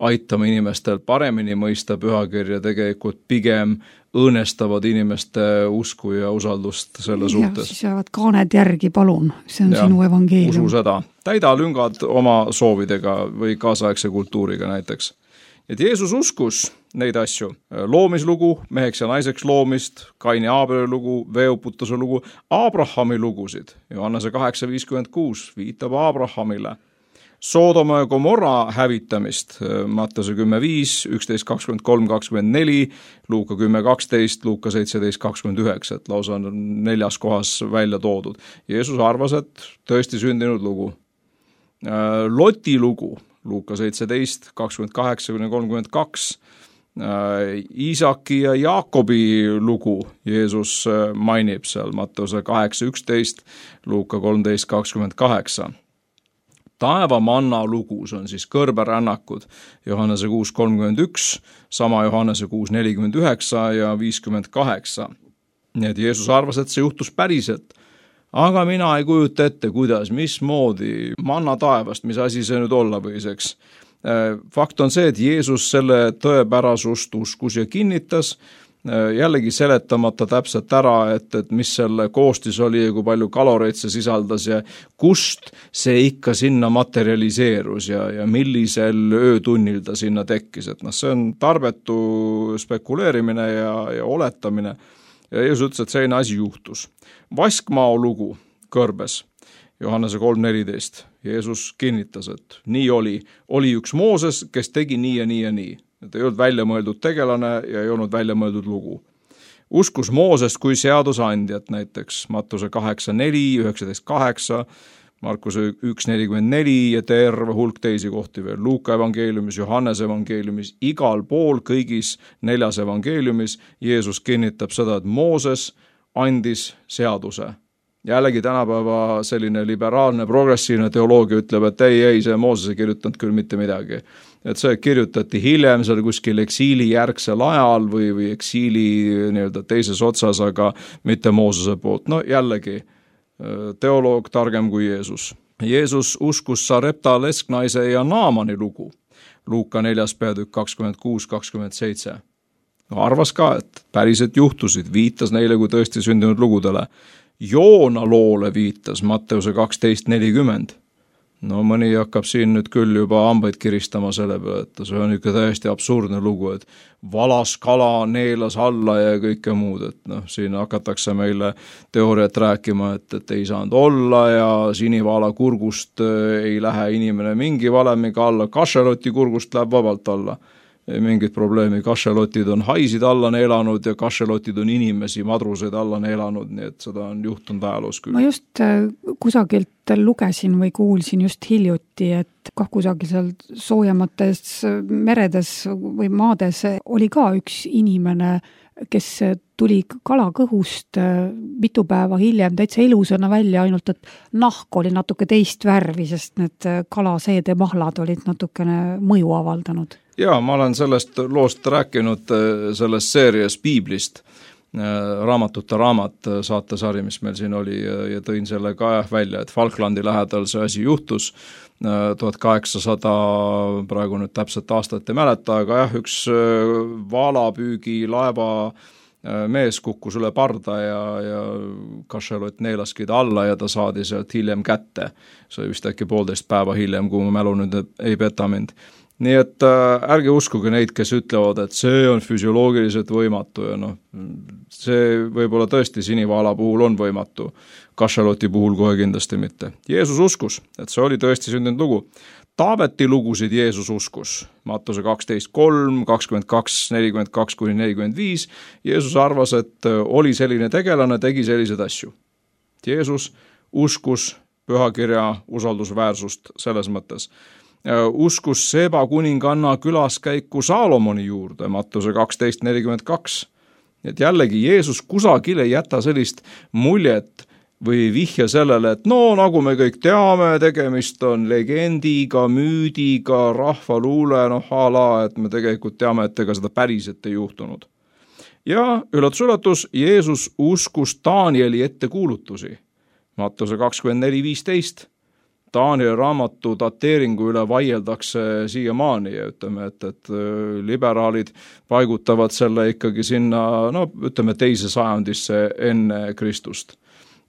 [SPEAKER 3] aitama inimestel paremini mõista pühakirja, tegelikult pigem õõnestavad inimeste usku ja usaldust selle suhtes.
[SPEAKER 2] Siis jäävad kaaned järgi, palun, see on sinu evangeelium.
[SPEAKER 3] Usu seda. Täida lüngad oma soovidega või kaasaegse kultuuriga näiteks. Et Jeesus uskus neid asju, loomislugu, meheks ja naiseks loomist, Kaini ja Aabeli lugu, veeuputuse lugu, Abrahami lugusid, Johannese 8:56 viitab Abrahamile, Soodoma ja Gomorra hävitamist, Matteuse 10:5, 11:23-24, Luuka 10:12, Luuka 17:29, et lausa on 4 kohas välja toodud. Jeesus arvas, et tõesti sündinud lugu. Loti lugu, Luuka 17, 28-32, Iisaki ja Jaakobi lugu Jeesus mainib seal Matteuse 8:11, Luuka 13:28. Taevamanna lugus on siis kõrberännakud, Johannese 6:31, sama Johannese 6:49 ja 58. Nii et Jeesus arvas, et see juhtus päriselt. Aga mina ei kujuta ette, kuidas, mismoodi, manna taevast, mis asi see nüüd olla võiseks. Fakt on see, et Jeesus selle tõepärasust uskus ja kinnitas, jällegi seletamata täpselt ära, et mis selle koostis oli ja kui palju kaloreid see sisaldas ja kust see ikka sinna materialiseerus ja millisel öötunnil ta sinna tekkis. Et see on tarbetu spekuleerimine ja oletamine. Ja Jeesus ütles, et selline asi juhtus. Vaskmao lugu kõrbes, Johannese 3:14. Jeesus kinnitas, et nii oli. Oli üks Mooses, kes tegi nii ja nii ja nii. Et ei olnud välja mõeldud tegelane ja ei olnud välja mõeldud lugu. Uskus Moosest kui seadusandjat näiteks Mattuse 8:4, 19:8, Markuse 1:44 ja terve hulk teisi kohti veel. Luuka evangeeliumis, Johannese evangeeliumis, igal pool kõigis 4 evangeeliumis Jeesus kinnitab seda, et Mooses andis seaduse. Jällegi tänapäeva selline liberaalne, progressiivne teoloogia ütleb, et ei, see Mooses ei kirjutanud küll mitte midagi. Et see kirjutati hiljem seal kuskil eksiili järgsel ajal või eksiili teises otsas, aga mitte Moosese poolt. Jällegi teoloog targem kui Jeesus. Jeesus uskus Sarepta lesknaise ja Naamani lugu. Luuka 4. peatükk 26-27. Arvas ka, et päriselt juhtusid, viitas neile kui tõesti sündinud lugudele. Joona loole viitas Matteuse 12:40. No mõni hakkab siin nüüd küll juba hambaid kiristama selle peale, et see on ikka täiesti absurdne lugu, et valas kala neelas alla ja kõike muud, et noh, siin hakatakse meile teooriat rääkima, et ei saanud olla ja sinivaala kurgust ei lähe inimene mingi valemiga alla, kašeloti kurgust läheb vabalt alla. Ei mingit probleemi, kašelotid on haisid alla neelanud ja kašelotid on inimesi, madruseid alla neelanud, nii et seda on juhtunud ajaloos küll.
[SPEAKER 2] Ma just kusagilt lugesin või kuulsin just hiljuti, et kusagil seal soojemates meredes või maades oli ka üks inimene, kes tuli kalakõhust mitu päeva hiljem täitsa elusana välja, ainult et nahk oli natuke teist värvi, sest need kalaseede mahlad olid natukene mõju avaldanud.
[SPEAKER 3] Jaa, ma olen sellest loost rääkinud selles seerias Piiblist, raamatute raamat saatesari, mis meil siin oli ja tõin selle ka välja, et Falklandi lähedal see asi juhtus 1800, praegu nüüd täpselt aastat ei mäleta, aga jah, üks vaalapüügi laeva mees kukkus üle parda ja kašelot neelaski ta alla ja ta saadi sealt hiljem kätte. See vist äkki 1,5 päeva hiljem, kui mu mälu nüüd ei peta mind. Nii et ärge uskuge neid, kes ütlevad, et see on füsioloogiliselt võimatu ja noh, see võib-olla tõesti sinivaala puhul on võimatu, kašeloti puhul kohe kindlasti mitte. Jeesus uskus, et see oli tõesti sündinud lugu. Taabeti lugusid Jeesus uskus, Mattuse 12.3, 22.42-45, Jeesus arvas, et oli selline tegelane, tegi selliseid asju. Jeesus uskus pühakirja usaldusväärsust selles mõttes. Uskus Seba kuninganna külaskäiku Saalomoni juurde, Mattuse 12.42. Et jällegi Jeesus kusagil ei jäta sellist muljet või vihja sellele, et no nagu me kõik teame, tegemist on legendiga, müüdiga, rahvaluule, et me tegelikult teame, et ega seda päriselt ei juhtunud. Ja üllatus, Jeesus uskus Danieli ettekuulutusi, Mattuse 24.15. Danieli raamatu dateeringu üle vaieldakse siiamaani ja ütleme, et liberaalid paigutavad selle ikkagi sinna, teise sajandisse enne Kristust.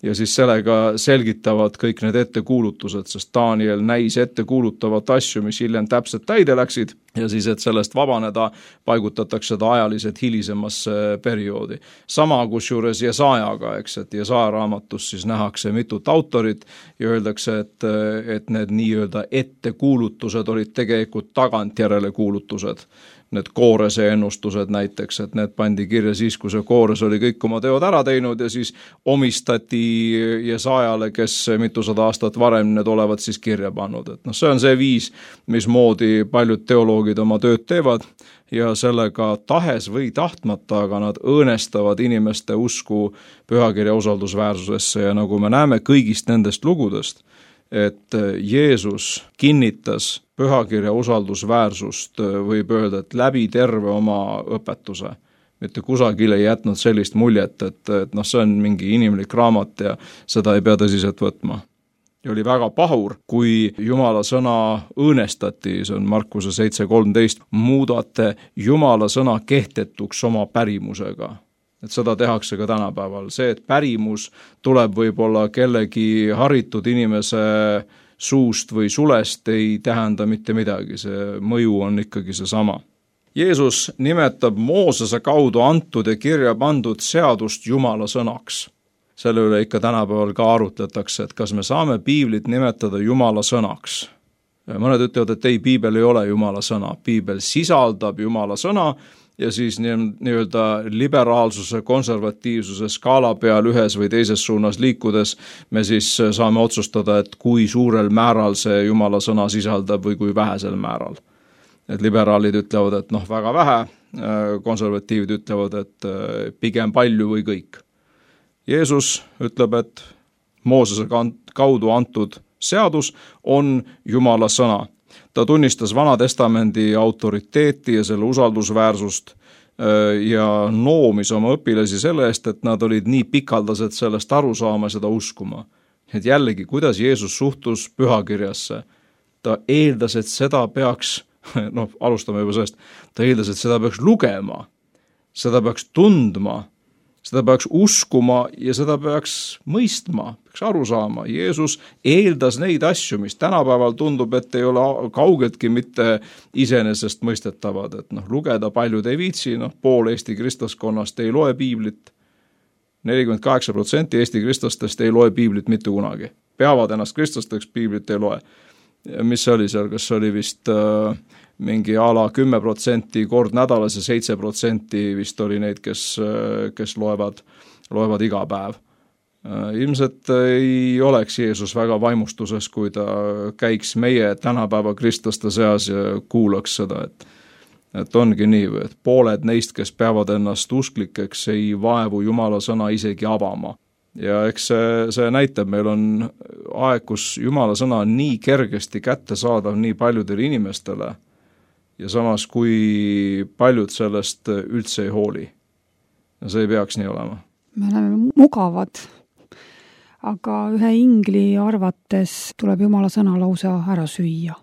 [SPEAKER 3] Ja siis sellega selgitavad kõik need ettekuulutused, sest Daniel näis ettekuulutavat asju, mis hiljem täpselt täide läksid ja siis, et sellest vabaneda, paigutatakse seda ajaliselt hilisemasse perioodi. Sama kusjuures Jesajaga, eks, et Jesaja raamatus siis nähakse mitut autorit ja öeldakse, et need nii-öelda ettekuulutused olid tegelikult tagantjärele kuulutused. Need Koorese ennustused näiteks, et need pandi kirja siis, kui see Koores oli kõik oma teod ära teinud ja siis omistati Jesajale, kes mitusada aastat varem need olevat siis kirja pannud. Et see on see viis, mismoodi paljud teoloogid oma tööd teevad ja sellega tahes või tahtmata, aga nad õõnestavad inimeste usku pühakirja usaldusväärsusesse ja nagu me näeme kõigist nendest lugudest, et Jeesus kinnitas pühakirja usaldusväärsust, võib öelda, et läbi terve oma õpetuse. Mitte kusagil ei jätnud sellist muljet, et see on mingi inimlik raamat ja seda ei pea tõsiselt võtma. Ja oli väga pahur, kui Jumala sõna õõnestati, see on Markuse 7.13, muudate Jumala sõna kehtetuks oma pärimusega. Et seda tehakse ka tänapäeval. See, et pärimus tuleb võib-olla kellegi haritud inimese suust või sulest, ei tähenda mitte midagi. See mõju on ikkagi seesama. Jeesus nimetab Moosese kaudu antud ja kirja pandud seadust Jumala sõnaks. Selle üle ikka tänapäeval ka arutletakse, et kas me saame piiblit nimetada Jumala sõnaks. Mõned ütlevad, et ei, piibel ei ole Jumala sõna. Piibel sisaldab Jumala sõna, ja siis nii-öelda liberaalsuse, konservatiivsuse skaala peal ühes või teises suunas liikudes me siis saame otsustada, et kui suurel määral see Jumala sõna sisaldab või kui vähesel määral. Et liberaalid ütlevad, et väga vähe, konservatiivid ütlevad, et pigem palju või kõik. Jeesus ütleb, et Moosese kaudu antud seadus on Jumala sõna. Ta tunnistas Vana-testamendi autoriteeti ja selle usaldusväärsust ja noomis oma õpilasi selle eest, et nad olid nii pikaldased sellest aru saama ja seda uskuma. Et jällegi, kuidas Jeesus suhtus pühakirjasse? Ta eeldas, et seda peaks, alustame juba sellest, ta eeldas, et seda peaks lugema, seda peaks tundma Seda peaks uskuma ja seda peaks mõistma, peaks aru saama. Jeesus eeldas neid asju, mis tänapäeval tundub, et ei ole kaugeltki mitte iseenesest mõistetavad. Et lugeda paljud ei viitsi, pool Eesti kristlaskonnast ei loe piiblit. 48% Eesti kristlastest ei loe piiblit mitte kunagi. Peavad ennast kristlasteks, piiblit ei loe. Mis see oli seal, kas oli vist mingi ala 10% kord nädalas ja 7% vist oli neid, kes loevad iga päev. Ilmselt ei oleks Jeesus väga vaimustuses, kui ta käiks meie tänapäeva kristlaste seas ja kuulaks seda, et ongi nii, et pooled neist, kes peavad ennast usklikeks, ei vaevu Jumala sõna isegi avama. Ja eks see näitab, meil on aeg, kus Jumala sõna on nii kergesti kätte saadav nii paljudele inimestele ja samas kui paljud sellest üldse ei hooli. Ja see ei peaks nii olema.
[SPEAKER 2] Me oleme mugavad, aga ühe ingli arvates tuleb Jumala sõna lausa ära süüa.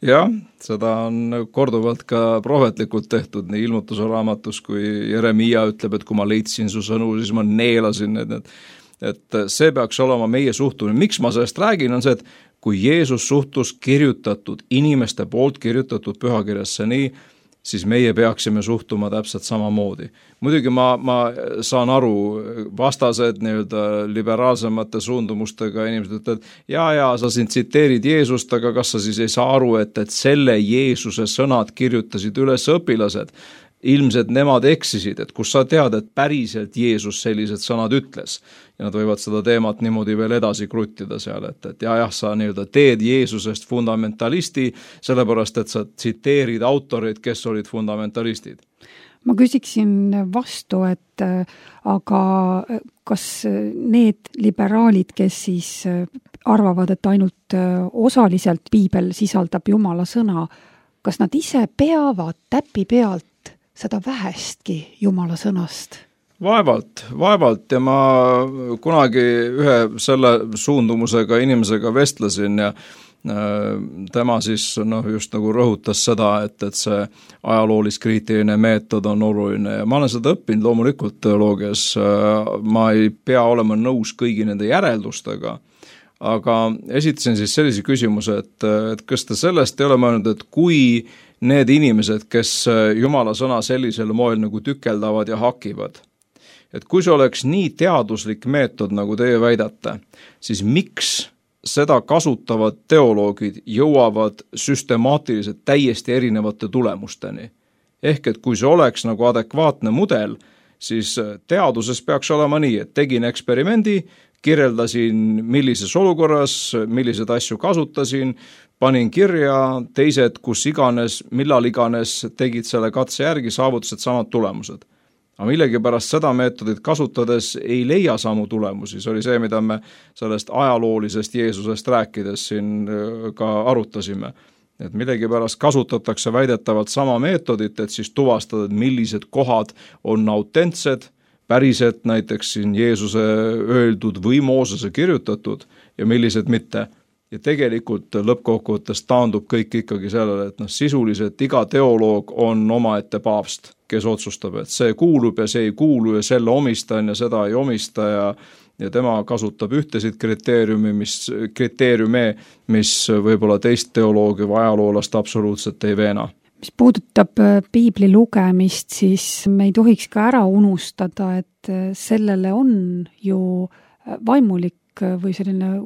[SPEAKER 3] Jah, seda on korduvalt ka prohvetlikult tehtud nii Ilmutuse raamatus, kui Jeremia ütleb, et kui ma leidsin su sõnu, siis ma neelasin need. Et see peaks olema meie suhtumine. Miks ma sellest räägin, on see, et kui Jeesus suhtus kirjutatud, inimeste poolt kirjutatud pühakirjasse nii, siis meie peaksime suhtuma täpselt samamoodi. Muidugi ma saan aru, vastased liberaalsemate suundumustega inimesed ütlevad, ja sa siin tsiteerid Jeesust, aga kas sa siis ei saa aru, et selle Jeesuse sõnad kirjutasid üles õpilased. Ilmselt nemad eksisid, et kus sa tead, et päriselt Jeesus sellised sõnad ütles. Ja nad võivad seda teemat niimoodi veel edasi kruttida seal, et sa teed Jeesusest fundamentalisti, sellepärast, et sa tsiteerid autorid, kes olid fundamentalistid.
[SPEAKER 2] Ma küsiksin vastu, et aga kas need liberaalid, kes siis arvavad, et ainult osaliselt piibel sisaldab Jumala sõna, kas nad ise peavad täpi pealt seda vähestki Jumala sõnast?
[SPEAKER 3] Vaevalt ja ma kunagi ühe selle suundumusega inimesega vestlesin ja tema siis just nagu rõhutas seda, et see ajaloolis-kriitiline meetod on oluline ja ma olen seda õppinud loomulikult teoloogias, ma ei pea olema nõus kõigi nende järeldustega, aga esitasin siis sellise küsimuse, et kas te sellest ei ole mõelnud, et kui need inimesed, kes Jumala sõna sellisel moel nagu tükeldavad ja hakivad, et kui see oleks nii teaduslik meetod, nagu teie väidate, siis miks seda kasutavad teoloogid jõuavad süstemaatiliselt täiesti erinevate tulemusteni? Ehk et kui see oleks nagu adekvaatne mudel, siis teaduses peaks olema nii, et tegin eksperimendi, kirjeldasin millises olukorras, milliseid asju kasutasin, panin kirja, teised, kus iganes, millal iganes tegid selle katse järgi, saavutasid samad tulemused. Aga millegipärast seda meetodit kasutades ei leia samu tulemusi. See oli see, mida me sellest ajaloolisest Jeesusest rääkides siin ka arutasime. Et millegipärast kasutatakse väidetavalt sama meetodit, et siis tuvastada, millised kohad on autentsed, päriselt näiteks siin Jeesuse öeldud või Moosese kirjutatud ja millised mitte. Ja tegelikult lõppkokkuvõttes taandub kõik ikkagi sellele, et sisuliselt iga teoloog on omaette paavst, kes otsustab, et see kuulub ja see ei kuulu ja selle omistan ja seda ei omista ja tema kasutab ühtesid kriteeriume, mis võib-olla teist teoloogi või ajaloolast absoluutselt ei veena.
[SPEAKER 2] Mis puudutab piibli lugemist, siis me ei tohiks ka ära unustada, et sellele on ju vaimulik või selline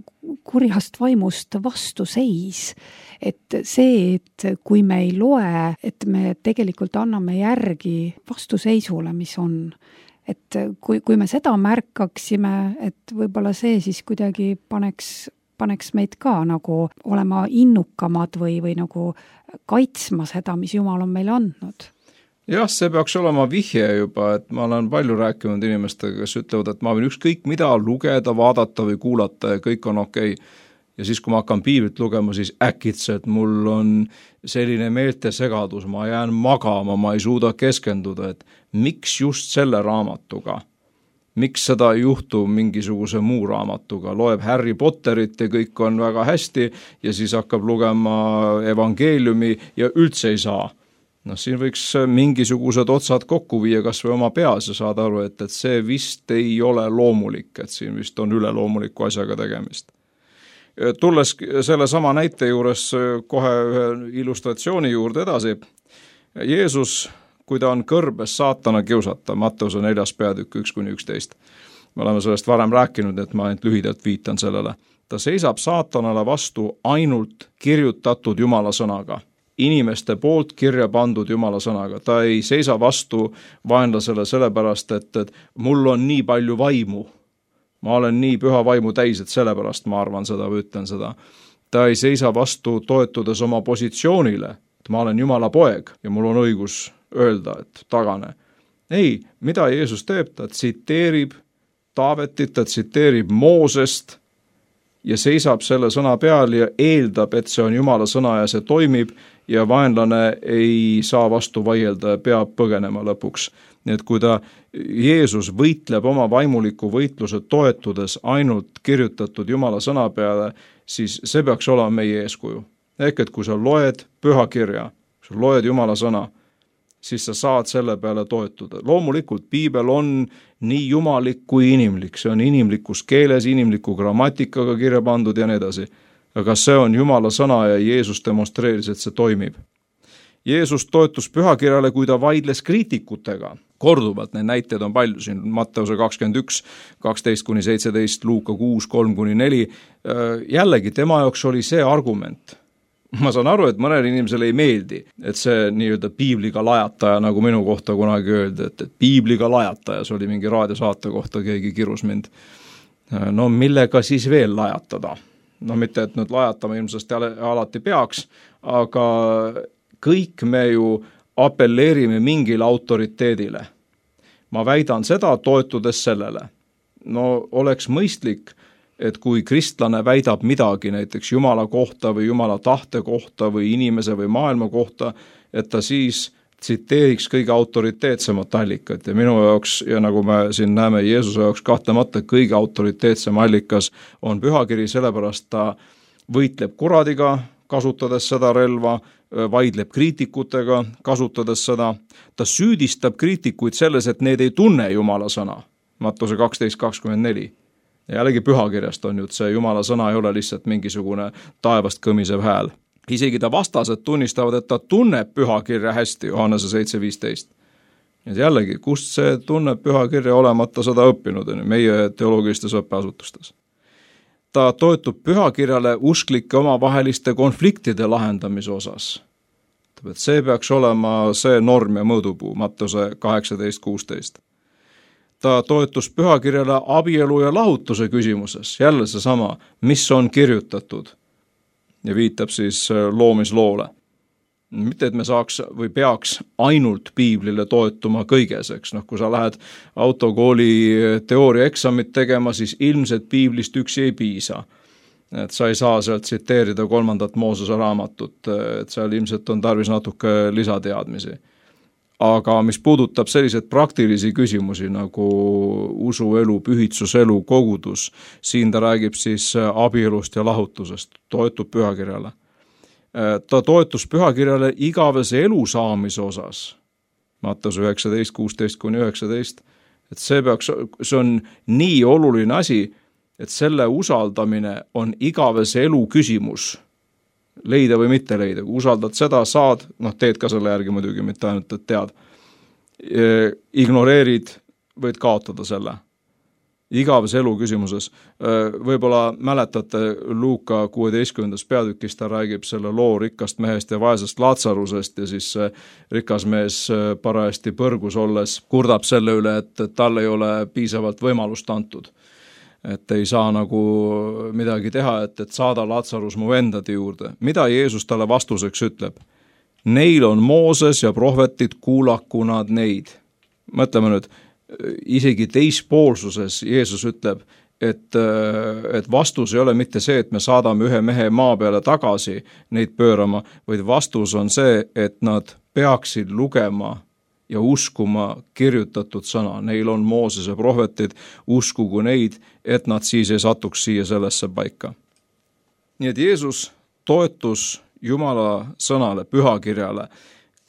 [SPEAKER 2] kurjast vaimust vastuseis. Et see, et kui me ei loe, et me tegelikult anname järgi vastuseisule, mis on. Et kui me seda märkaksime, et võib-olla see siis kuidagi paneks meid ka nagu olema innukamad või nagu kaitsma seda, mis Jumal on meile andnud.
[SPEAKER 3] Jah, see peaks olema vihje juba, et ma olen palju rääkinud inimestega, kes ütlevad, et ma võin ükskõik mida lugeda, vaadata või kuulata ja kõik on okei. Ja siis, kui ma hakkan piiblit lugema, siis äkitselt mul on selline meeltesegadus, ma jään magama, ma ei suuda keskenduda, et miks just selle raamatuga? Miks seda ei juhtu mingisuguse muu raamatuga? Loeb Harry Potterit ja kõik on väga hästi ja siis hakkab lugema evangeeliumi ja üldse ei saa. Siin võiks mingisugused otsad kokku viia kas või oma peas ja saada aru, et see vist ei ole loomulik, et siin vist on üleloomuliku asjaga tegemist. Tulles selle sama näite juures kohe ühe illustratsiooni juurde edasi, Jeesus, kui ta on kõrbes saatana kiusata, Matteuse 4. peatükk 1-11. Me oleme sellest varem rääkinud, et ma ainult lühidalt viitan sellele. Ta seisab saatanale vastu ainult kirjutatud Jumala sõnaga. Inimeste poolt kirja pandud Jumala sõnaga. Ta ei seisa vastu vaenlasele sellepärast, et mul on nii palju vaimu. Ma olen nii püha vaimu täis, et sellepärast ma arvan seda või ütlen seda. Ta ei seisa vastu toetudes oma positsioonile, et ma olen Jumala poeg ja mul on õigus öelda, et tagane. Ei, mida Jeesus teeb? Ta tsiteerib Taavetit, ta tsiteerib Moosest ja seisab selle sõna peal ja eeldab, et see on Jumala sõna ja see toimib ja vaenlane ei saa vastu vaielda ja peab põgenema lõpuks. Nii et kui Jeesus võitleb oma vaimuliku võitluse toetudes ainult kirjutatud Jumala sõna peale, siis see peaks olema meie eeskuju. Ehk et kui sa loed pühakirja, kui sa loed Jumala sõna, siis sa saad selle peale toetuda. Loomulikult piibel on nii jumalik kui inimlik, see on inimlikus keeles, inimliku grammatikaga kirja pandud ja nii edasi. Aga see on Jumala sõna ja Jeesus demonstreeris, et see toimib. Jeesus toetus pühakirjale, kui ta vaidles kriitikutega. Korduvalt neid näiteid on palju, siin Matteuse 21, 12-17, Luuka 6, 3-4. Jällegi tema jaoks oli see argument. Ma saan aru, et mõnel inimesel ei meeldi, et see nii-öelda piibliga lajataja, nagu minu kohta kunagi öeldi, et piibliga lajataja, see oli mingi raadiosaate kohta, keegi kirus mind. No millega siis veel lajatada? No mitte, et nüüd lajatama ilmselt alati peaks, aga kõik me ju apelleerime mingile autoriteedile. Ma väidan seda toetudes sellele. No oleks mõistlik, et kui kristlane väidab midagi näiteks Jumala kohta või Jumala tahte kohta või inimese või maailma kohta, et ta siis tsiteeriks kõige autoriteetsemat allikat ja minu jaoks, ja nagu me siin näeme Jeesuse jaoks kahtlemata kõige autoriteetsem allikas on pühakiri, sellepärast ta võitleb kuradiga, kasutades seda relva, vaidleb kriitikutega, kasutades seda, ta süüdistab kriitikuid selles, et need ei tunne Jumala sõna. Matteuse 12:24. Jällegi pühakirjast on ju, et see Jumala sõna ei ole lihtsalt mingisugune taevast kõmisev hääl. Isegi ta vastased tunnistavad, et ta tunneb pühakirja hästi, Johannese 7:15. Jällegi, kust see tunneb pühakirja olemata seda õppinud meie teoloogilistes õppeasutustes? Ta toetub pühakirjale usklike omavaheliste konfliktide lahendamise osas. Et see peaks olema see norm ja mõõdupuu, Matteuse 18:16. Ta toetus pühakirjale abielu ja lahutuse küsimuses, jälle seesama, mis on kirjutatud ja viitab siis loomisloole. Mitte, et me saaks või peaks ainult piiblile toetuma kõigeseks. Kui sa lähed autokooli teooriaeksamit tegema, siis ilmselt piiblist üksi ei piisa. Et sa ei saa sealt tsiteerida 3. Moosese raamatut, et seal ilmselt on tarvis natuke lisateadmisi. Aga mis puudutab selliseid praktilisi küsimusi nagu usuelu, pühitsuselu, kogudus, siin ta räägib siis abielust ja lahutusest, toetub pühakirjale. Ta toetus pühakirjale igavese elu saamise osas, Matteuse 19, 16-19, et see on nii oluline asi, et selle usaldamine on igavese elu küsimus. Leida või mitte leida, kui usaldad seda, saad, teed ka selle järgi muidugi, mitte ainult, et tead. Ignoreerid, võid kaotada selle. Igavese elu küsimuses. Võib-olla mäletate Luuka 16. peatükis, ta räägib selle loo rikkast mehest ja vaesest Laatsarusest ja siis rikas mees parajasti põrgus olles kurdab selle üle, et tal ei ole piisavalt võimalust antud. Et ei saa nagu midagi teha, et saada Laatsarus mu vendade juurde. Mida Jeesus talle vastuseks ütleb? Neil on Mooses ja prohvetid, kuulaku nad neid. Mõtleme nüüd, isegi teispoolsuses Jeesus ütleb, et vastus ei ole mitte see, et me saadame ühe mehe maa peale tagasi neid pöörama, vaid vastus on see, et nad peaksid lugema ja uskuma kirjutatud sõna. Neil on Moosese prohvetid, uskugu neid, et nad siis ei satuks siia sellesse paika. Nii et Jeesus toetus Jumala sõnale, pühakirjale,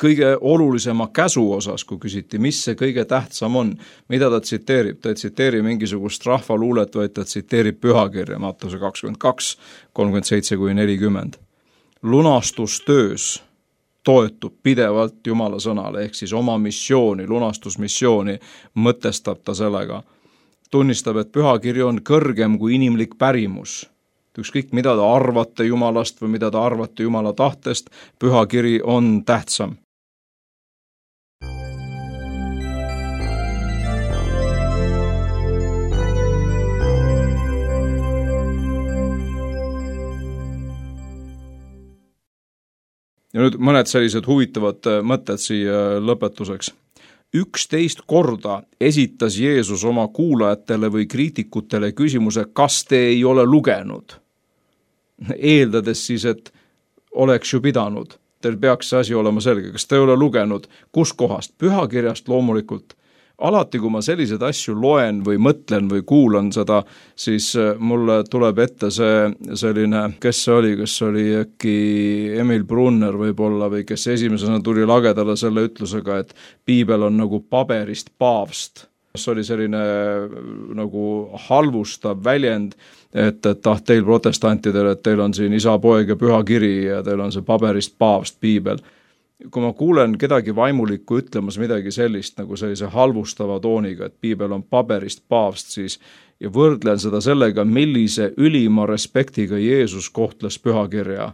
[SPEAKER 3] kõige olulisema käsu osas, kui küsiti, mis see kõige tähtsam on, mida ta tsiteerib. Ta ei tsiteeri mingisugust rahvaluulet, vaid ta tsiteerib pühakirja, Mattuse 22, 37-40. Lunastustöös toetub pidevalt Jumala sõnale, ehk siis oma missiooni, lunastusmissiooni mõtestab ta sellega. Tunnistab, et pühakiri on kõrgem kui inimlik pärimus. Ükskõik, mida te arvate Jumalast või mida te arvate Jumala tahtest, pühakiri on tähtsam. Ja nüüd mõned sellised huvitavad mõtted siia lõpetuseks. 11 korda esitas Jeesus oma kuulajatele või kriitikutele küsimuse, kas te ei ole lugenud. Eeldades siis, et oleks ju pidanud. Teil peaks see asi olema selge. Kas te ei ole lugenud? Kus kohast? Pühakirjast loomulikult. Alati, kui ma selliseid asju loen või mõtlen või kuulan seda, siis mulle tuleb ette selline, kes see oli, kas oli äkki Emil Brunner võib-olla või kes esimesena tuli lagedale selle ütlusega, et piibel on nagu paberist paavst. See oli selline nagu halvustav väljend, et teil protestantidel, et teil on siin isa, poeg ja püha kiri ja teil on see paberist paavst piibel. Kui ma kuulen kedagi vaimulikku ütlemas midagi sellist nagu sellise halvustava tooniga, et piibel on paberist paavst, siis ja võrdlen seda sellega, millise ülima respektiga Jeesus kohtles pühakirja,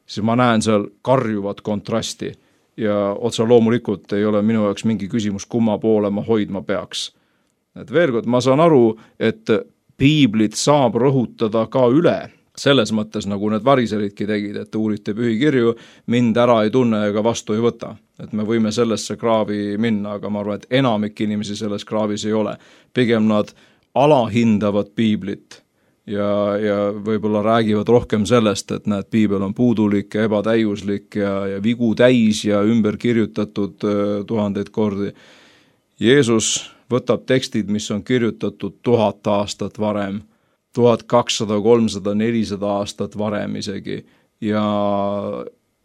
[SPEAKER 3] siis ma näen seal karjuvat kontrasti ja otse loomulikult ei ole minu jaoks mingi küsimus, kumma poole ma hoidma peaks. Et veel kord, ma saan aru, et piiblit saab rõhutada ka üle, selles mõttes, nagu need variseridki tegid, et uurite pühikirju, mind ära ei tunne ega vastu ei võta. Et me võime sellesse kraavi minna, aga ma arvan, et enamik inimesi selles kraavis ei ole. Pigem nad alahindavad piiblit ja võib-olla räägivad rohkem sellest, et näed, piibel on puudulik ja ebatäiuslik ja vigu täis ja ümber kirjutatud 1000 kordi. Jeesus võtab tekstid, mis on kirjutatud 1000 aastat varem, 1200, 300, 400 aastat varem isegi ja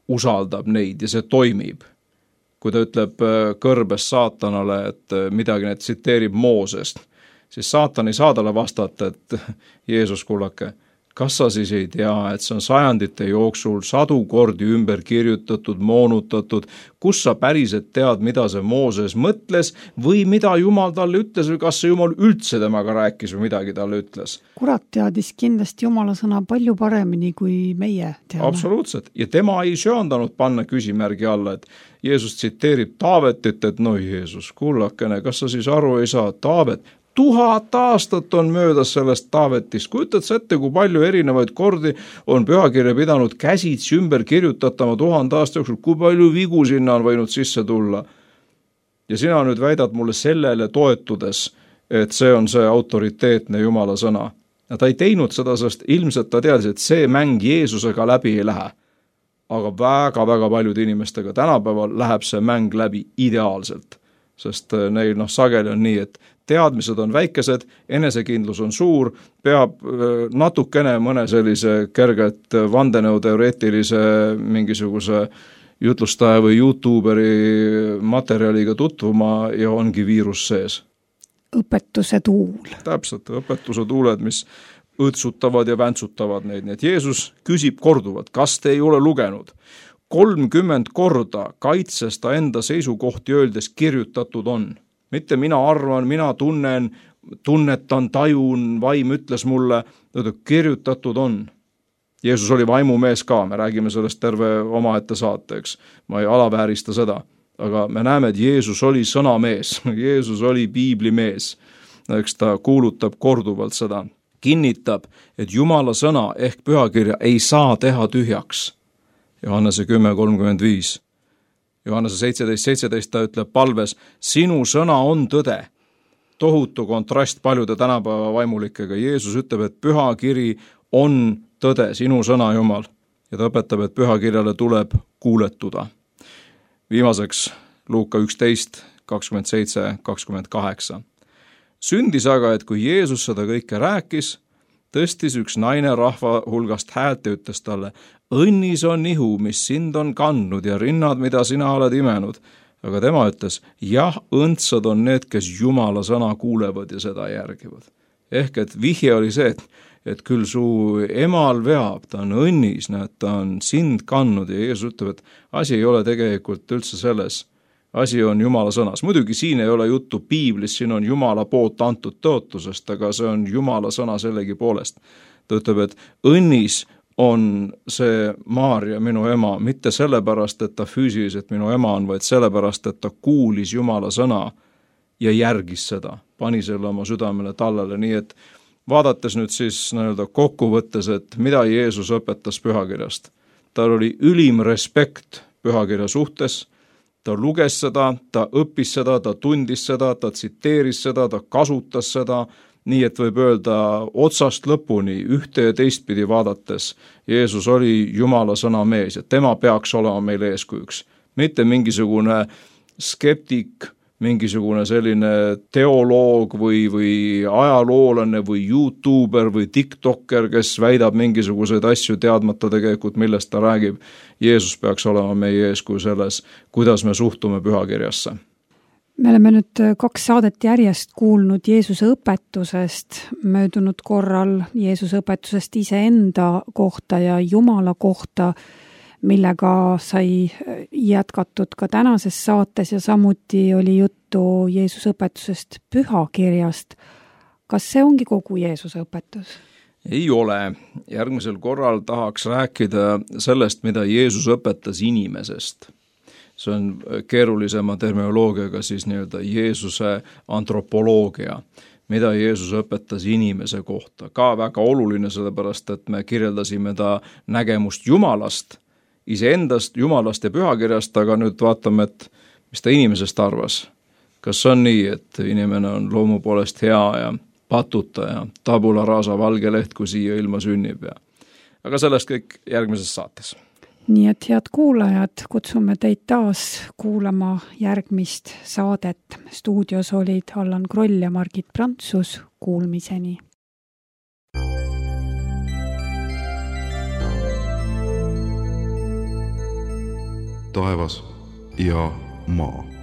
[SPEAKER 3] usaldab neid ja see toimib. Kui ta ütleb kõrbes saatanale, et midagi need tsiteerib Moosest, siis saatan ei saa talle vastata, et Jeesus, kullake, kas sa siis ei tea, et see on sajandite jooksul 100 kordi ümber kirjutatud, moonutatud, kus sa päriselt tead, mida see Mooses mõtles või mida Jumal talle ütles või kas see Jumal üldse temaga rääkis või midagi talle ütles?
[SPEAKER 2] Kurat teadis kindlasti Jumala sõna palju paremini kui meie teame.
[SPEAKER 3] Absoluutselt. Ja tema ei söandanud panna küsimärgi alla, et Jeesus tsiteerib Taavetit, et no Jeesus, kullakene, kas sa siis aru ei saa, Taavet, 1000 aastat on möödas sellest Taavetist. Kujutad sa ette, kui palju erinevaid kordi on pühakirja pidanud käsitsi ümber kirjutatama 1000 aasta jooksul, kui palju vigu sinna on võinud sisse tulla. Ja sina nüüd väidad mulle sellele toetudes, et see on see autoriteetne Jumala sõna. Ja ta ei teinud seda, sest ilmselt ta teadis, et see mäng Jeesusega läbi ei lähe. Aga väga-väga paljude inimestega tänapäeval läheb see mäng läbi ideaalselt. Sest neil sageli on nii, et teadmised on väikesed, enesekindlus on suur, peab natukene mõne sellise kerget vandenõuteoreetilise mingisuguse jutlustaja või YouTuberi materjaliga tutvuma ja ongi viirus sees.
[SPEAKER 2] Õpetuse tuul.
[SPEAKER 3] Täpselt, õpetuse tuuled, mis õõtsutavad ja väntsutavad neid. Nii et Jeesus küsib korduvalt, kas te ei ole lugenud? 30 korda kaitses ta enda seisukohti öeldes kirjutatud on. Mitte mina arvan, mina tunnetan, tajun, vaim ütles mulle, kirjutatud on. Jeesus oli vaimumees ka, me räägime sellest terve omaette saateks. Ma ei alaväärista seda, aga me näeme, et Jeesus oli sõnamees, Jeesus oli piiblimees. Eks ta kuulutab korduvalt seda, kinnitab, et Jumala sõna ehk pühakirja ei saa teha tühjaks. Johannese 10:35. Johannese 17:17 ta ütleb palves, sinu sõna on tõde. Tohutu kontrast paljude tänapäeva vaimulikega. Jeesus ütleb, et pühakiri on tõde, sinu sõna Jumal. Ja ta õpetab, et pühakirjale tuleb kuuletuda. Viimaseks Luuka 11, 27, 28. Sündis aga, et kui Jeesus seda kõike rääkis, tõstis üks naine rahva hulgast häält ja ütles talle, õnnis on ihu, mis sind on kandnud ja rinnad, mida sina oled imenud. Aga tema ütles, jah, õndsad on need, kes Jumala sõna kuulevad ja seda järgivad. Ehk et vihje oli see, et küll su emal veab, ta on õnnis, ta on sind kandnud ja Jeesus ütleb, et asi ei ole tegelikult üldse selles. Asi on Jumala sõnas. Muidugi siin ei ole juttu piiblis, siin on Jumala poolt antud tõotusest, aga see on Jumala sõna sellegi poolest. Ta ütleb, et õnnis on see Maarja, minu ema, mitte sellepärast, et ta füüsiliselt minu ema on, vaid sellepärast, et ta kuulis Jumala sõna ja järgis seda, pani selle oma südamele tallele, nii et vaadates nüüd siis kokkuvõttes, et mida Jeesus õpetas pühakirjast. Tal oli ülim respekt pühakirja suhtes, ta luges seda, ta õppis seda, ta tundis seda, ta tsiteeris seda, ta kasutas seda, nii et võib öelda otsast lõpuni ühte ja teistpidi vaadates. Jeesus oli Jumala sõna mees ja tema peaks olema meil eeskujuks. Mitte mingisugune skeptik, mingisugune selline teoloog või ajaloolane või YouTuber või TikToker, kes väidab mingisuguseid asju teadmata tegelikult, millest ta räägib. Jeesus peaks olema meie eeskuju selles, kuidas me suhtume pühakirjasse.
[SPEAKER 2] Me oleme nüüd 2 saadet järjest kuulnud Jeesuse õpetusest, möödunud korral Jeesuse õpetusest iseenda kohta ja Jumala kohta, millega sai jätkatud ka tänases saates ja samuti oli juttu Jeesuse õpetusest pühakirjast. Kas see ongi kogu Jeesuse õpetus?
[SPEAKER 3] Ei ole. Järgmisel korral tahaks rääkida sellest, mida Jeesus õpetas inimesest. See on keerulisema terminoloogiaga siis nii-öelda Jeesuse antropoloogia, mida Jeesus õpetas inimese kohta. Ka väga oluline, sellepärast, et me kirjeldasime ta nägemust Jumalast, iseendast, Jumalast ja pühakirjast, aga nüüd vaatame, et mis ta inimesest arvas. Kas on nii, et inimene on loomu poolest hea ja patuta ja tabula rasa valge leht, kui siia ilma sünnib. Aga sellest kõik järgmises saates.
[SPEAKER 2] Nii et head kuulajad, kutsume teid taas kuulama järgmist saadet. Stuudios olid Allan Kroll ja Margit Prantsus. Kuulmiseni.
[SPEAKER 1] Taevas ja maa.